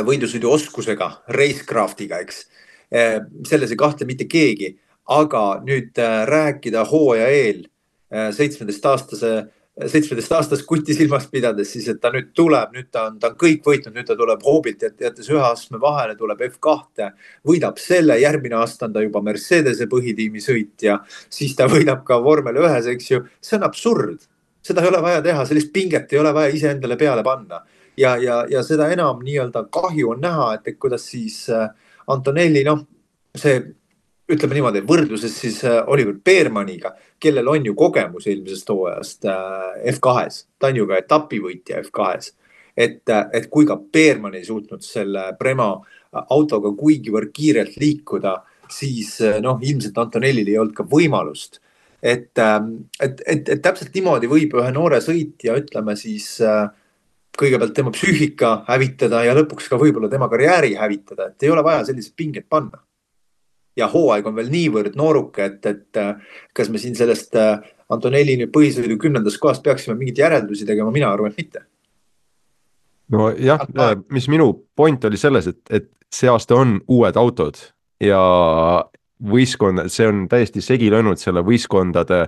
võidusõidu oskusega, racecraftiga, eks. Selles ei kahtle mitte keegi, aga nüüd rääkida hooaja eel 17-aastast kuti silmas pidades, siis et ta nüüd tuleb, nüüd ta on kõik võitnud, nüüd ta tuleb hoobilt, jättes ühe astme vahele, tuleb F2, võidab selle, järgmine aasta on ta juba Mercedese põhitiimi sõitja, siis ta võidab ka vormel 1, eks ju, see on absurd. Seda ei ole vaja teha, sellist pinget ei ole vaja iseendale peale panna. Ja seda enam nii-öelda kahju on näha, et kuidas siis Antonelli, see ütleme niimoodi, võrdluses siis Oliver Beermaniga, kellel on ju kogemus eelmisest hooajast F2-s. Ta on ju ka etapivõitja F2-s. Et kui ka Beerman ei suutnud selle Prema autoga kuigivõrd kiirelt liikuda, siis ilmselt Antonellil ei olnud ka võimalust. Et täpselt niimoodi võib ühe noore sõitja, ütleme siis kõigepealt tema psüühika hävitada ja lõpuks ka võib-olla tema karjääri hävitada, et ei ole vaja sellised pinged panna. Ja hooaeg on veel niivõrd nooruke, et kas me siin sellest Antonelli nüüd põhisõidu 10. kohast peaksime mingit järeldusi tegema, mina arvan, et mitte. No jah, mis minu point oli selles, et see aasta on uued autod ja võistkond, see on täiesti segi löönud selle võistkondade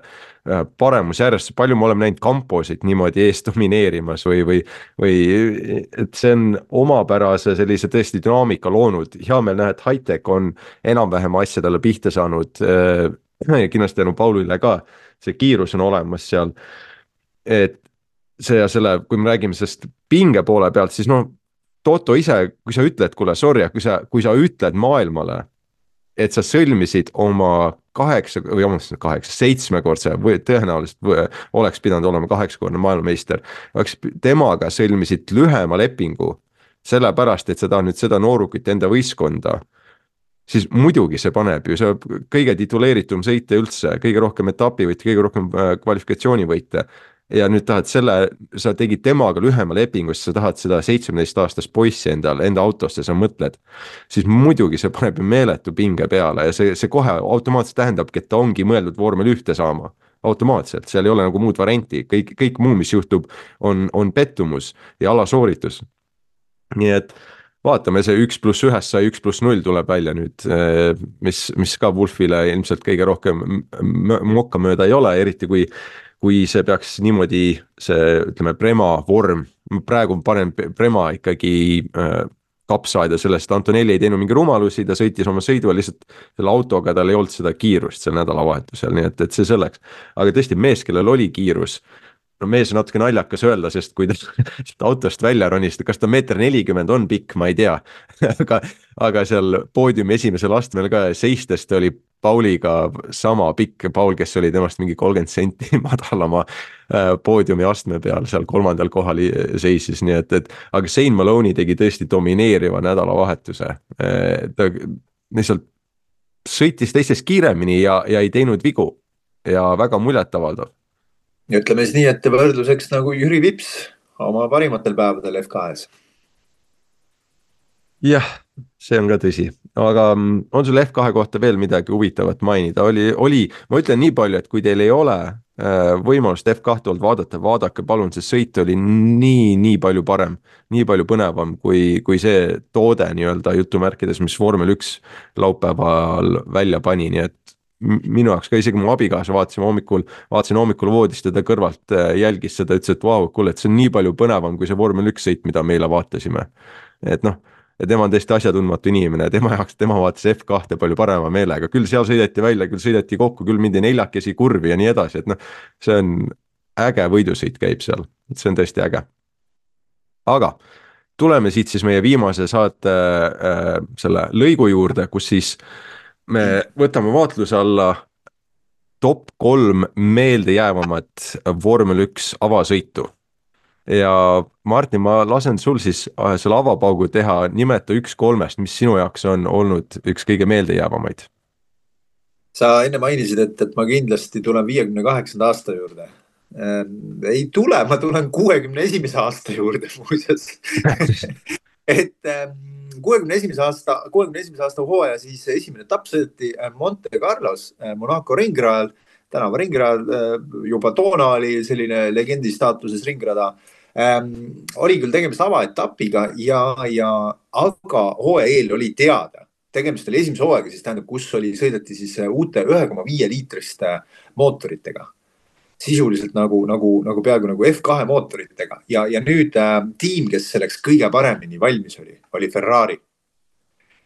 paremusjärjest, palju me oleme näinud kamposid niimoodi eest domineerimas või et see on omapärase sellise tõesti dünaamika loonud. Hea meel näha, et Hightech on enam-vähem asjadele pihta saanud ja kindlasti tänu Paulile ka, see kiirus on olemas seal. Et see ja selle, kui me räägime sellest pinge poole pealt, siis Toto ise, kui sa ütled, kuule, sorry, kui sa ütled maailmale, et sa sõlmisid oma 7-kordse või tõenäoliselt oleks pidanud olema 8-kordne maailmameister, temaga sõlmisid lühema lepingu sellepärast, et sa tahad nüüd seda noorukit enda võistkonda, siis muidugi see paneb ju, see kõige tituleeritum sõite üldse, kõige rohkem etapivõite, kõige rohkem kvalifikatsioonivõite ja nüüd tahad sa tegid temaga lühema lepingu, siis sa tahad seda 17-aastast poissi enda autosse, sa mõtled, siis muidugi see paneb meeletu pinge peale ja see kohe automaatselt tähendabki, et ta ongi mõeldud vormel 1 saama. Automaatselt, seal ei ole nagu muud varianti, kõik muu, mis juhtub, on pettumus ja alasooritus. Nii et vaatame, see 1+1 sai 1+0 tuleb välja nüüd, mis ka Wolffile ilmselt kõige rohkem mokka mööda ei ole, eriti kui see peaks niimoodi see, ütleme, Prema vorm, praegu panen Prema ikkagi kapsaida sellest, Antonelli ei teinud mingi rumalusi, ta sõitis oma sõidu, lihtsalt selle autoga tal ei olnud seda kiirust seal nädalavahetusel, nii et see selleks. Aga tõesti mees, kellel oli kiirus, mees on natuke naljakas öelda, sest kui ta autost välja ronist, kas ta 1,40 m on pikk, ma ei tea, aga seal poodiumi esimesel astmel ka seistest oli Pauliga sama pikk, Paul, kes oli temast mingi 30 senti madalama poodiumi astme peal, seal 3. kohal seisis, nii et aga Shane Maloney tegi tõesti domineeriva nädalavahetuse. Ta lihtsalt sõitis teistest kiiremini ja ei teinud vigu ja väga muljetavaldav. Ja ütleme siis nii, et võrdluseks nagu Jüri Vips oma parimatel päevadel F2-s. jah, see on ka tõsi, aga on sul F2 kohta veel midagi huvitavat mainida, ma ütlen nii palju, et kui teil ei ole võimalust F2 olnud vaadata, vaadake palun, see sõit oli nii palju parem, nii palju põnevam kui see toode nii-öelda jutumärkides, mis vormel 1 laupäeval välja pani, nii et minu jaoks ka isegi mu abikaasa vaatasin hommikul voodist ja ta kõrvalt jälgis seda, ütles, et vau, kuule, et see on nii palju põnevam kui see vormel 1 sõit, mida me eile vaatasime. Et noh, ja tema on tõesti asjatundmatu inimene, tema jaoks, tema vaatas F2 palju parema meelega, küll seal sõideti välja, küll sõideti kokku, küll mindi 4 kurvi ja nii edasi, et noh, see on äge võidusõit käib seal, et see on tõesti äge. Aga tuleme siit siis meie viimase saate selle lõigu juurde, kus siis me võtame vaatluse alla top 3 meeldejäävamat vormel 1 avasõitu. Ja Martin, ma lasen sul siis selle avapaugu teha, nimeta 1-3, mis sinu jaoks on olnud üks kõige meeldejäävamaid. Sa enne mainisid, et ma kindlasti tulen 58. aasta juurde. Ei tule, ma tulen 61. aasta juurde muuseas. et 61. aasta hooaja siis esimene etapp sõideti Monte Carlos, Monaco ringrajal, tänava ringrajal, juba toona oli selline legendi staatuses ringrada. Oli küll tegemist avaetapiga aga hooaja eel oli teada. Tegemist oli esimese hooaega, siis tähendab, kus sõideti siis uute 1,5 liitriste mootoritega. Sisuliselt nagu peaaegu nagu F2 mootoritega ja nüüd tiim, kes selleks kõige paremini valmis oli Ferrari.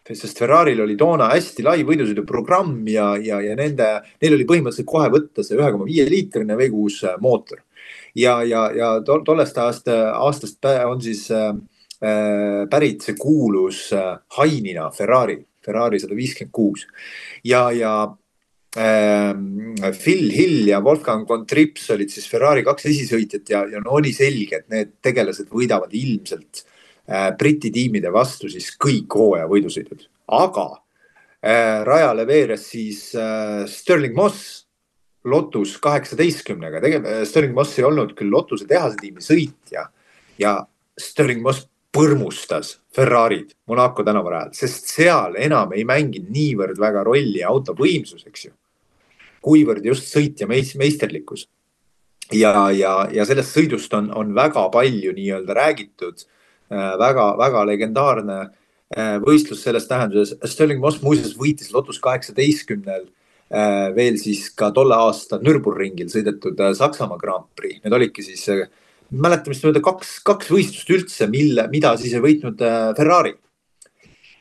Sest Ferraril oli toona hästi lai võidusõidu programm ja neil oli põhimõtteliselt kohe võtta see 1,5 liitrine V6 mootor. Ja tollest aastast on siis pärit see kuulus Hainina Ferrari 156 ja Phil Hill ja Wolfgang von Trips olid siis Ferrari 2 esisõitjad ja oli selge, et need tegelased võidavad ilmselt Briti tiimide vastu siis kõik hooaja võidusõidud. Aga rajale veeres siis Stirling Moss Lotus 18-ga. Stirling Moss ei olnud küll Lotuse tehase tiimi sõitja ja Stirling Moss põrmustas Ferrarid Monaco tänavarajal, sest seal enam ei mänginud niivõrd väga rolli auto võimsus, eks ju, kuivõrd just sõitja meisterlikkus. Ja sellest sõidust on väga palju nii-öelda räägitud, väga legendaarne võistlus selles tähenduses. Stirling Moss muuseas võitis Lotus 18-l veel siis ka tolle aasta Nürburgringil sõidetud Saksamaa Grand Prix. Need olidki siis mäletamist mööda kaks võistlust üldse, mida siis ei võitnud Ferrari.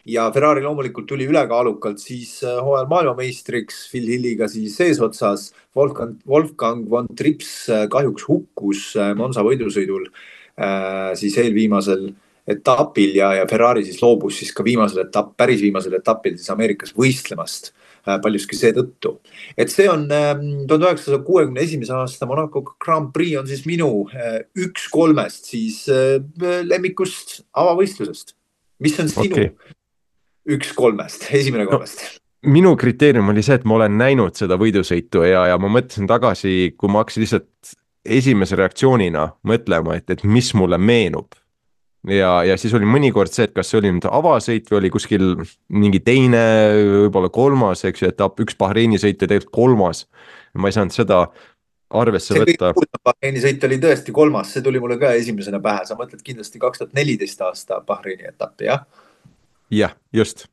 Ja Ferrari loomulikult tuli ülekaalukalt siis hooajal maailmameistriks Phil Hilliga siis eesotsas. Wolfgang von Trips kahjuks hukkus Monza võidusõidul siis eelviimasel etapil ja Ferrari siis loobus siis ka päris viimasel etapil siis Ameerikas võistlemast paljuski seetõttu. Et see on 1961. aasta Monaco Grand Prix on siis minu 1-3 siis lemmikust avavõistlusest. Mis on sinu 1-3, esimene 3? Minu kriteerium oli see, et ma olen näinud seda võidusõitu ja ma mõtlesin tagasi, kui ma hakkasin lihtsalt esimese reaktsioonina mõtlema, et mis mulle meenub. Ja siis oli mõnikord see, et kas see oli nüüd avasõit või oli kuskil mingi teine, võib-olla 3, eks ju, etapp, 1 Bahreini sõit ja tegelikult 3. Ma ei saanud seda arvesse võtta. Bahreini sõit oli tõesti 3, see tuli mulle ka esimesena pähe. Sa mõtled kindlasti 2014 aasta Bahreini etappi, jah? Jah, just.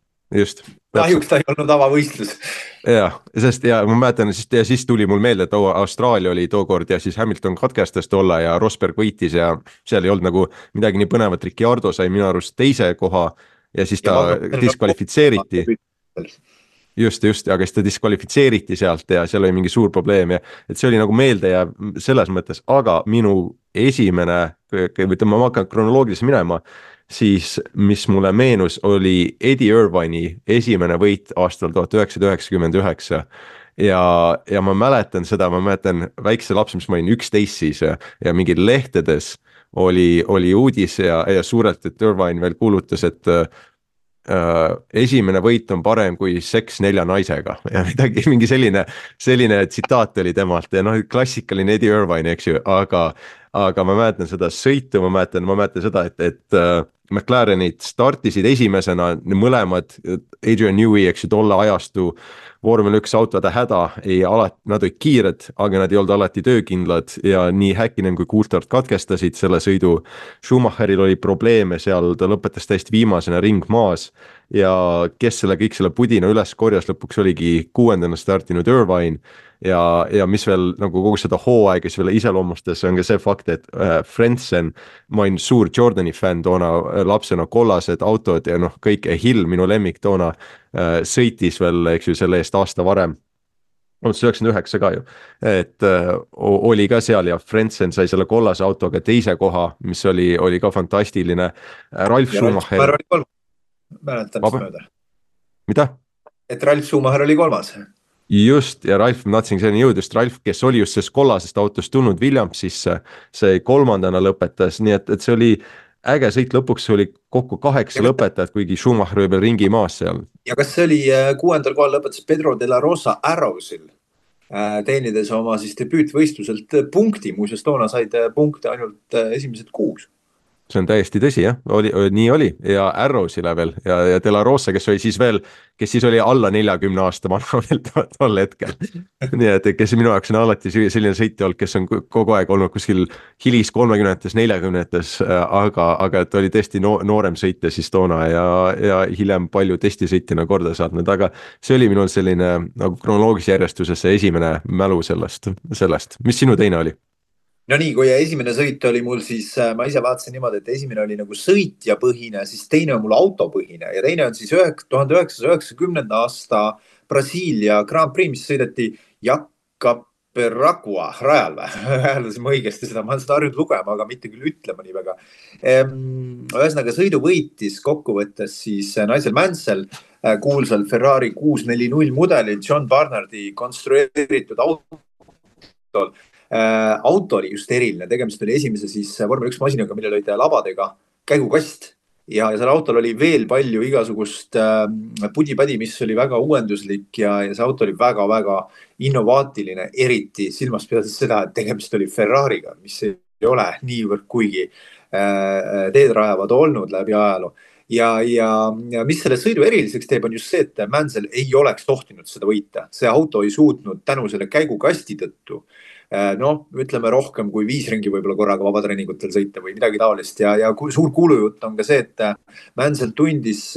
Kahjuks ta ei olnud avavõistlus. Ja ma mäletan, siis tuli mul meelde, et Austraalia oli tookord ja siis Hamilton katkestas tolle ja Rosberg võitis ja seal ei olnud nagu midagi nii põnevat. Ricciardo sai minu arust 2. koha ja siis ta diskvalifitseeriti. Just, aga siis ta diskvalifitseeriti sealt ja seal oli mingi suur probleem ja et see oli nagu meelde ja selles mõttes, aga minu esimene, ma hakkan kronoloogiliselt minema, siis mis mulle meenus oli Eddie Irvine'i esimene võit aastal 1999 ja ma mäletan seda, väikse laps, mis ma olin 11 siis ja mingi lehtedes oli uudis ja suurelt, et Irvine veel kuulutas, et esimene võit on parem kui seks 4 naisega ja mingi selline tsitaat oli temalt ja klassikaline Eddie Irvine, eks ju, aga aga ma mäletan seda sõitu, ma mäletan seda, et McLarenid startisid esimesena mõlemad, Adrian Newey, eks ju, tolle ajastu vormel 1 autode häda, nad olid kiired, aga nad ei olnud alati töökindlad ja nii Häkkinen kui Coulthard katkestasid selle sõidu. Schumacheril oli probleeme seal, ta lõpetas täiesti viimasena ring maas ja kes kõik selle pudina üles korjas, lõpuks oligi 6. startinud Irvine ja mis veel nagu kogu seda hooaega siis veel iseloomustas, on ka see fakt, et Frentzen, ma olin suur Jordani fänn toona lapsena, kollased autod ja kõik, Hill, minu lemmik toona, sõitis veel, eks ju, selle eest aasta varem, 99 ka ju, et oli ka seal ja Frentzen sai selle kollase autoga 2. koha, mis oli ka fantastiline. Ralf Schumacher. Mäletan seda mööda. Mida? Et Ralf Schumacher oli 3. Just, ja Ralf, ma tahtsin selleni jõuda, just Ralf, kes oli just sellest kollasest autost tulnud Williamsisse, see 3. lõpetas, nii et see oli äge sõit, lõpuks oli kokku 8 lõpetajat, kuigi Schumacher oli veel ringi maas seal. Ja kas see oli 6. kohal lõpetas Pedro de la Rosa Arrowsil, teenides oma siis debüütvõistluselt punkti, muuseas toona said punkte ainult esimesed 6. See on täiesti tõsi, jah, nii oli ja Arrowsile veel ja De La Rosa, kes siis oli alla 40 aasta vana veel tol hetkel. Nii et kes minu jaoks on alati selline sõitja olnud, kes on kogu aeg olnud kuskil hilis 30-tes, 40-tes, aga et oli tõesti noorem sõitja siis toona ja hiljem palju testisõitjana korda saatnud, aga see oli minul selline nagu kronoloogilise järjestuses see esimene mälu sellest. Mis sinu teine oli? No nii, kui esimene sõit oli mul, siis ma ise vaatasin niimoodi, et esimene oli nagu sõitjapõhine, siis teine on mul autopõhine ja teine on siis 1990. aasta Brasiilia Grand Prix, mis sõideti Jacaperacua rajal või? Hääldasin ma õigesti seda, ma olen seda harjunud lugema, aga mitte küll ütlema nii väga. Ühesõnaga sõidu võitis kokkuvõttes siis Nigel Mansell, kuulsal Ferrari 640 mudelil John Barnardi konstrueeritud autol. Auto oli just eriline, tegemist oli esimese siis vormel 1 masinaga, millel olid labadega käigukast ja seal autol oli veel palju igasugust pudipädi, mis oli väga uuenduslik ja see auto oli väga-väga innovaatiline, eriti silmas pidades seda, et tegemist oli Ferrariga, mis ei ole niivõrd kuigi teed rajavad olnud läbi ajaloo. Ja mis selle sõidu eriliseks teeb, on just see, et Mansell ei oleks tohtinud seda võita. See auto ei suutnud tänu selle käigukasti tõttu ütleme rohkem kui 5 ringi võib-olla korraga vabatreeningutel sõita või midagi taolist ja suur kuulujutt on ka see, et Mansell tundis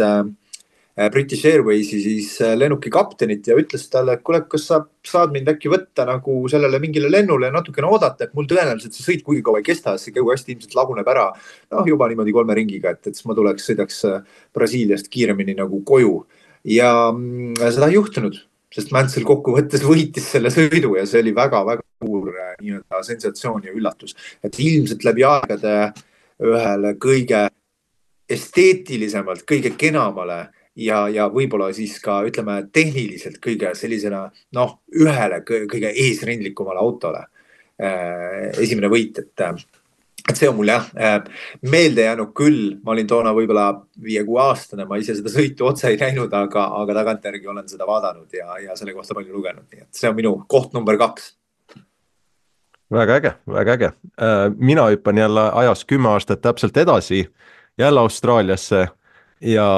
British Airwaysi siis lennuki kaptenit ja ütles talle, et kuule, kas sa saad mind äkki võtta nagu sellele mingile lennule ja natukene oodata, et mul tõenäoliselt see sõit kuigi kaua ei kesta, see käigukasti ilmselt laguneb ära juba niimoodi 3 ringiga, et siis ma sõidaks Brasiiliast kiiremini nagu koju ja seda ei juhtunud. Sest Mansell kokkuvõttes võitis selle sõidu ja see oli väga-väga suur sensatsioon ja üllatus. Et ilmselt läbi aegade ühele kõige esteetilisemalt, kõige kenamale ja võib-olla siis ka ütleme tehniliselt kõige sellisena ühele kõige eesrindlikumale autole esimene võit, et see on mul meelde jäänud küll, ma olin toona võib-olla 5-6 aastane, ma ise seda sõitu otse ei näinud, aga tagantjärgi olen seda vaadanud ja selle kohta palju lugenud, nii et see on minu koht number 2. Väga äge. Mina hüppan jälle ajas 10 aastat täpselt edasi, jälle Austraaliasse ja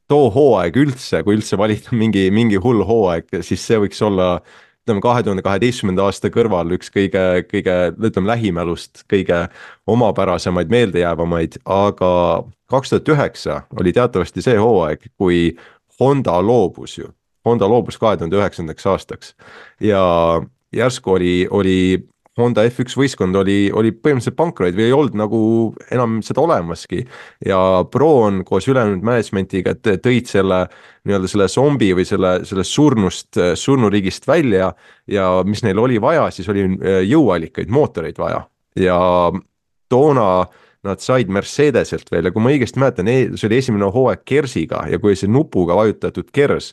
too hooaeg üldse, kui üldse valida mingi hull hooaeg, siis see võiks olla 2012. aasta kõrval üks kõige lähimälust, kõige omapärasemaid, meeldejäävamaid, aga 2009 oli teatavasti see hooaeg, kui Honda loobus 2009. aastaks ja järsku oli Honda F1 võistkond oli põhimõtteliselt pankroid või ei olnud nagu enam seda olemaski ja Braun koos ülejäänud managementiga tõid selle zombi või selle surnuriigist välja ja mis neil oli vaja, siis oli jõuallikaid, mootoreid vaja ja toona nad said Mercedeselt veel ja kui ma õigesti mäletan, see oli esimene hooaeg Kersiga ja kui see nupuga vajutatud Kers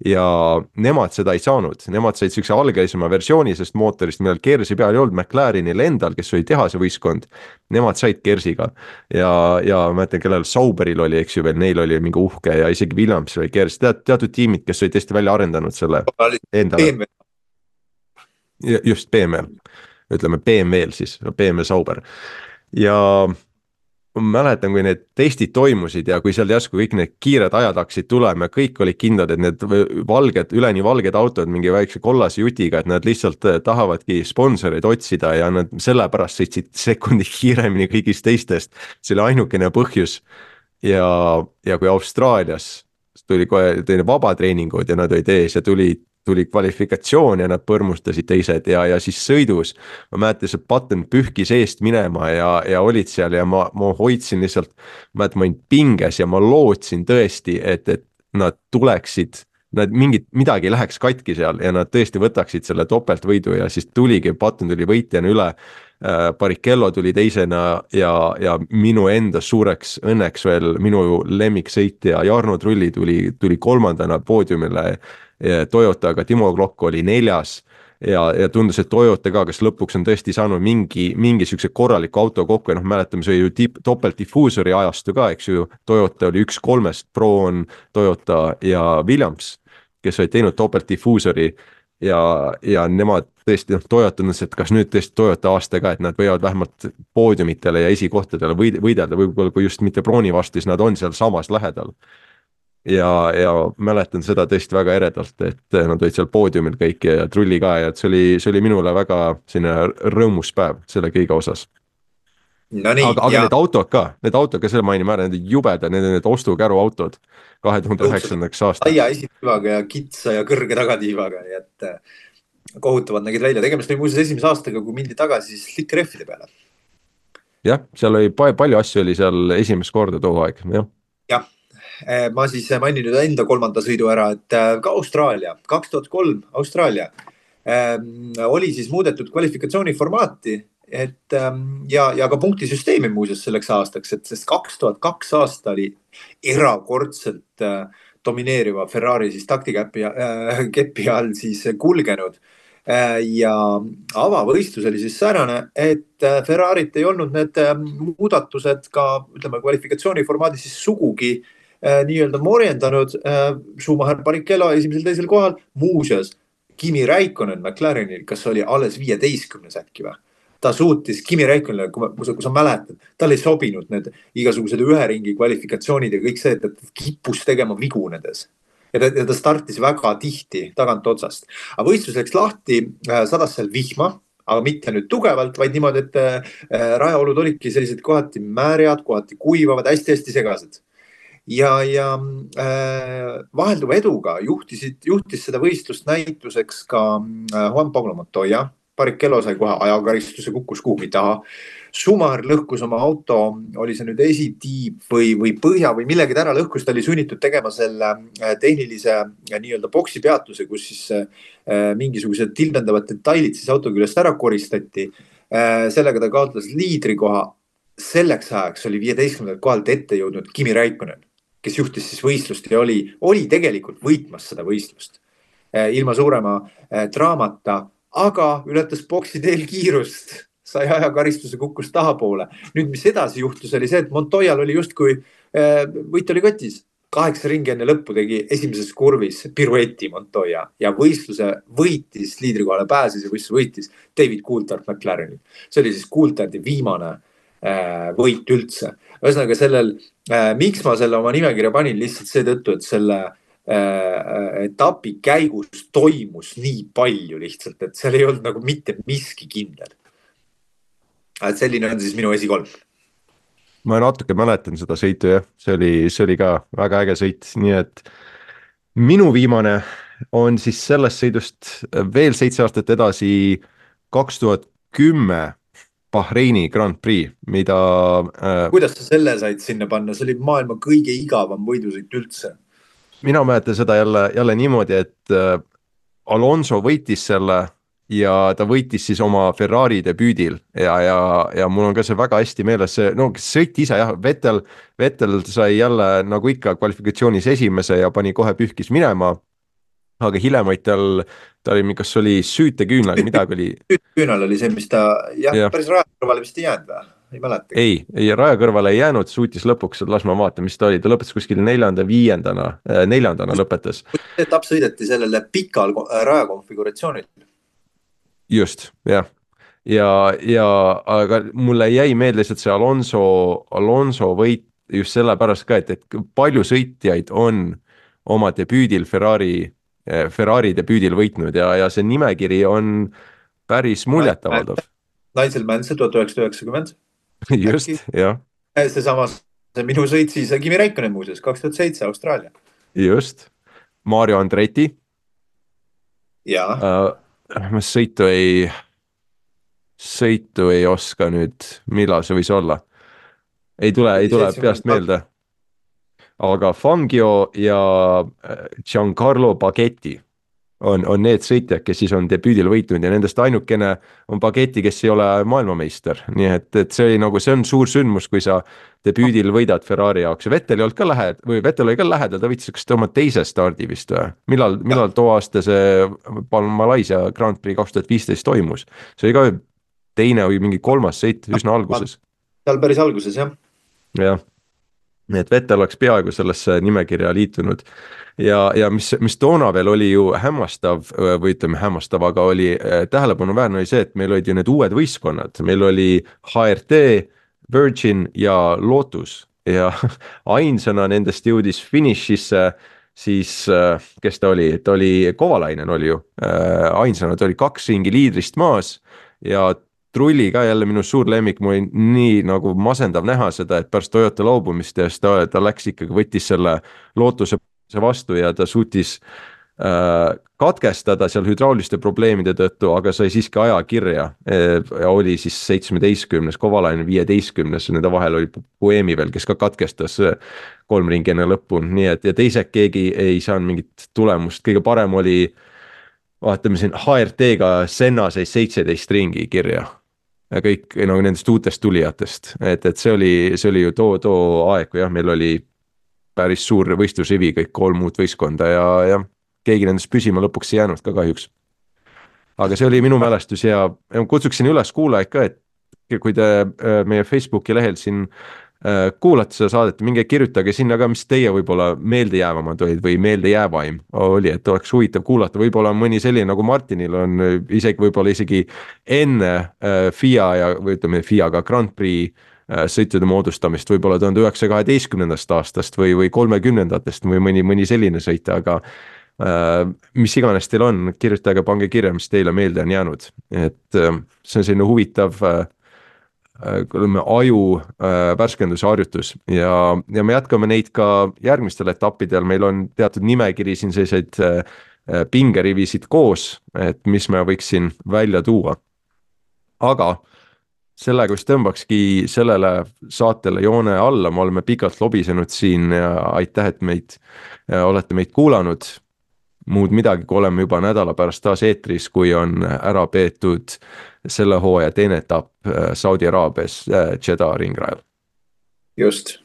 ja nemad seda ei saanud, nemad said sellise algelisema versiooni sest mootorist, millal Kersi peal ei olnud, McLarenil endal, kes oli tehase võistkond, nemad said Kersiga ja ma mäletan, kellel Sauberil oli, eks ju veel, neil oli mingi uhke ja isegi Williams oli Kers, teatud tiimid, kes olid tõesti välja arendanud selle endale. Just BMW. ütleme BMW-l siis, BMW Sauber. ja ma mäletan, kui need testid toimusid ja kui seal järsku kõik need kiired ajad hakkasid tulema ja kõik olid kindlad, et need valged, üleni valged autod mingi väikse kollase jutiga, et nad lihtsalt tahavadki sponsoreid otsida ja nad sellepärast sõitsid sekundi kiiremini kõigist teistest. See oli ainukene põhjus. ja kui Austraalias tuli kohe vabatreeningud ja nad olid ees ja tuli kvalifikatsioon ja nad põrmustasid teised ja siis sõidus ma mäletan, see Button pühkis eest minema ja olid seal ja ma hoidsin lihtsalt, ma olin pinges ja ma lootsin tõesti, et nad tuleksid, midagi läheks katki seal ja nad tõesti võtaksid selle topeltvõidu ja siis tuligi, Button tuli võitjana üle, Barrichello tuli teisena ja minu enda suureks õnneks veel minu lemmiksõitja Jarno Trulli tuli kolmandana poodiumile Toyotaga, Timo Glock oli 4. ja tundus, et Toyota ka, kes lõpuks on tõesti saanud mingi siukse korraliku auto kokku ja mäletame, see ju topeltdifuusori ajastu ka, eks ju, Toyota oli 1 3, Pro-on Toyota ja Williams, kes olid teinud topeltdifuusori ja nemad tõesti, Toyota on see, et kas nüüd tõesti Toyota aastaga, et nad võivad vähemalt poodiumitele ja esikohtadele võidelda, võib-olla kui just mitte Broni vastu, siis nad on seal samas lähedal. Ja mäletan seda tõesti väga eredalt, et nad olid seal poodiumil kõik ja Trulli ka ja et see oli minule väga selline rõõmus päev selle kõige osas. No nii, aga need autod ka, selle mainime ära, need jubedad, need ostukäru autod 2009. aastal. Laia esitiivaga ja kitsa ja kõrge tagatiivaga, nii et kohutavad nägid välja. Tegemist oli muuseas esimese aastaga, kui mindi tagasi slick rehvide peale. Jah, seal oli palju asju oli seal esimest korda too aeg, jah. Jah, ma siis mainin nüüd enda 3. sõidu ära, et ka Austraalia, 2003 Austraalia oli siis muudetud kvalifikatsiooni formaati, et ja ka punktisüsteemi muuseas selleks aastaks, et sest 2002 aasta oli erakordselt domineeriva Ferrari siis taktikäpi all siis kulgenud ja avavõistlus oli siis säärane, et Ferrarit ei olnud need muudatused ka ütleme kvalifikatsiooni formaadis siis sugugi nii-öelda morjendanud. Schumacher, Barrichello esimesel teisel kohal, muuseas Kimi Räikkönen McLarenil, kas oli alles 15 äkki või? Ta suutis Kimi Räikkönenile, kui sa mäletad, tal ei sobinud need igasugused ühe ringi kvalifikatsioonid ja kõik see, et kippus tegema vigu nendes. Ja ta startis väga tihti tagant otsast. Aga võistlus läks lahti, sadas seal vihma, aga mitte nüüd tugevalt, vaid niimoodi, et rajaolud olidki sellised kohati määriad, kohati kuivavad, hästi-hästi segased. Ja vahelduva eduga juhtis seda võistlust näituseks ka Juan Pablo Montoya. Barrichello sai kohe ajakaristuse, kukkus kuhugi taha. Schumacher lõhkus oma auto, oli see nüüd esitiib või põhja või millegi ära lõhkus, ta oli sunnitud tegema selle tehnilise nii-öelda boksi peatuse, kus siis mingisugused tilbendavad detailid siis auto küljest ära koristati. Sellega ta kaotas liidrikoha. Selleks ajaks oli 15. kohalt ette jõudnud Kimi Räikkönen, kes juhtis siis võistlust ja oli tegelikult võitmas seda võistlust ilma suurema draamata, aga ületas boksi teel kiirust, sai ajakaristuse, kukkus tahapoole. Nüüd, mis edasi juhtus, oli see, et Montoyal oli justkui võit oli kotis. 8 ringi enne lõppu tegi esimeses kurvis pirueti Montoya ja võistluse võitis, liidrikohale pääses ja võistluse võitis David Coulthard McLarenil. See oli siis Coulthardi viimane võit üldse. Ühesõnaga sellel, miks ma selle oma nimekirja panin lihtsalt seetõttu, et selle etapi käigus toimus nii palju lihtsalt, et seal ei olnud nagu mitte miski kindel. Et selline on siis minu esi3. Ma natuke mäletan seda sõitu, jah. See oli ka väga äge sõit, nii et minu viimane on siis sellest sõidust veel 7 aastat edasi 2010 Bahreini Grand Prix, mida... Kuidas sa selle said sinna panna? See oli maailma kõige igavam võidusõit üldse. Mina mäletan seda jälle niimoodi, et Alonso võitis selle ja ta võitis siis oma Ferrari debüüdil ja mul on ka see väga hästi meeles, sõit ise jah, Vettel sai jälle nagu ikka kvalifikatsioonis esimese ja pani kohe pühkis minema, aga hilemaid ta oli, kas oli süüteküünal, midagi oli. Süüteküünal oli see, mis ta päris rajakõrvale vist ei jäänud või? Ei mäleta. Ei raja kõrvale ei jäänud, suutis lõpuks, las ma vaatan, mis ta oli, ta lõpetas kuskil 4. lõpetas. Etapp sõideti sellele pikal rajakonfiguratsioonil. Just, jah. ja aga mulle jäi meelde lihtsalt see Alonso võit just sellepärast ka, et palju sõitjaid on oma debüüdil Ferrari debüüdil võitnud ja see nimekiri on päris muljetavaldav. Nigel Mansell 1990. just, jah. Seesama, see minu sõit siis, Kimi Räikkönen muuseas, 2007 Austraalia. Just, Mario Andretti. Ma sõitu ei oska nüüd, millal see võis olla. Ei tule peast meelde. Aga Fangio ja Giancarlo Baghetti on need sõitjad, kes siis on debüüdil võitnud ja nendest ainukene on Baghetti, kes ei ole maailmameister. Nii et see on suur sündmus, kui sa debüüdil võidad Ferrari jaoks. Vettel oli ka lähedal, ta võitis kas oma teise stardi vist või? Millal too aasta see Malaisia Grand Prix 2015 toimus? See oli ka teine või mingi kolmas sõit üsna alguses. Seal päris alguses, jah. Jah. Et Vettel oleks peaaegu sellesse nimekirja liitunud ja mis toona veel oli ju hämmastav, aga oli tähelepanuväärne oli see, et meil olid ju need uued võistkonnad, meil oli HRT, Virgin ja Lotus ja ainsana nendest jõudis finišisse siis, kes ta oli Kovalainen oli ju, ainsana ta oli 2 ringi liidrist maas ja Trulli ka jälle minu suur lemmik, mul oli nii nagu masendav näha seda, et pärast Toyota loobumist ja ta läks ikkagi, võttis selle Lootuse vastu ja ta suutis katkestada seal hüdrauliste probleemide tõttu, aga sai siiski aja kirja ja oli siis 17, Kovalainen 15, nende vahel oli Buemi veel, kes ka katkestas 3 ringi enne lõppu, nii et ja teised keegi ei saanud mingit tulemust, kõige parem oli, vaatame siin HRT-ga Senna sai 17 ringi kirja. Ja kõik nendest uutest tulijatest, et see oli ju too aeg, kui jah, meil oli päris suur võistlusrivi, kõik 3 uut võistkonda ja keegi nendest püsima lõpuks ei jäänud ka kahjuks. Aga see oli minu mälestus ja kutsuksin üles kuulajaid ka, et kui te meie Facebooki lehel siin kuulate seda saadet, minge kirjutage sinna ka, mis teie võib-olla meeldejäävamad olid või meeldejäävaim oli, et oleks huvitav kuulata, võib-olla mõni selline nagu Martinil on võib-olla isegi enne FIA ja või ütleme FIA-ga Grand Prix sõitude moodustamist, võib-olla 1912. aastast või 30-ndatest või mõni selline sõit, aga mis iganes teil on, kirjutage, pange kirja, mis teile meelde on jäänud, et see on selline huvitav aju värskenduse harjutus ja me jätkame neid ka järgmistel etappidel, meil on teatud nimekiri siin selliseid pingerivisid koos, et mis me võiksin välja tuua. Aga sellega vist tõmbakski sellele saatele joone alla, me oleme pikalt lobisenud siin ja aitäh, et olete meid kuulanud. Muud midagi, kui oleme juba nädala pärast taas eetris, kui on ära peetud selle hooaja teine etapp Saudi Araabias Jeddah ringrajal. Just.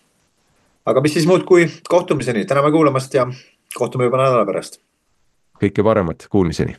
Aga mis siis muud kui kohtumiseni, täname kuulamast ja kohtume juba nädala pärast. Kõike paremat, kuulmiseni.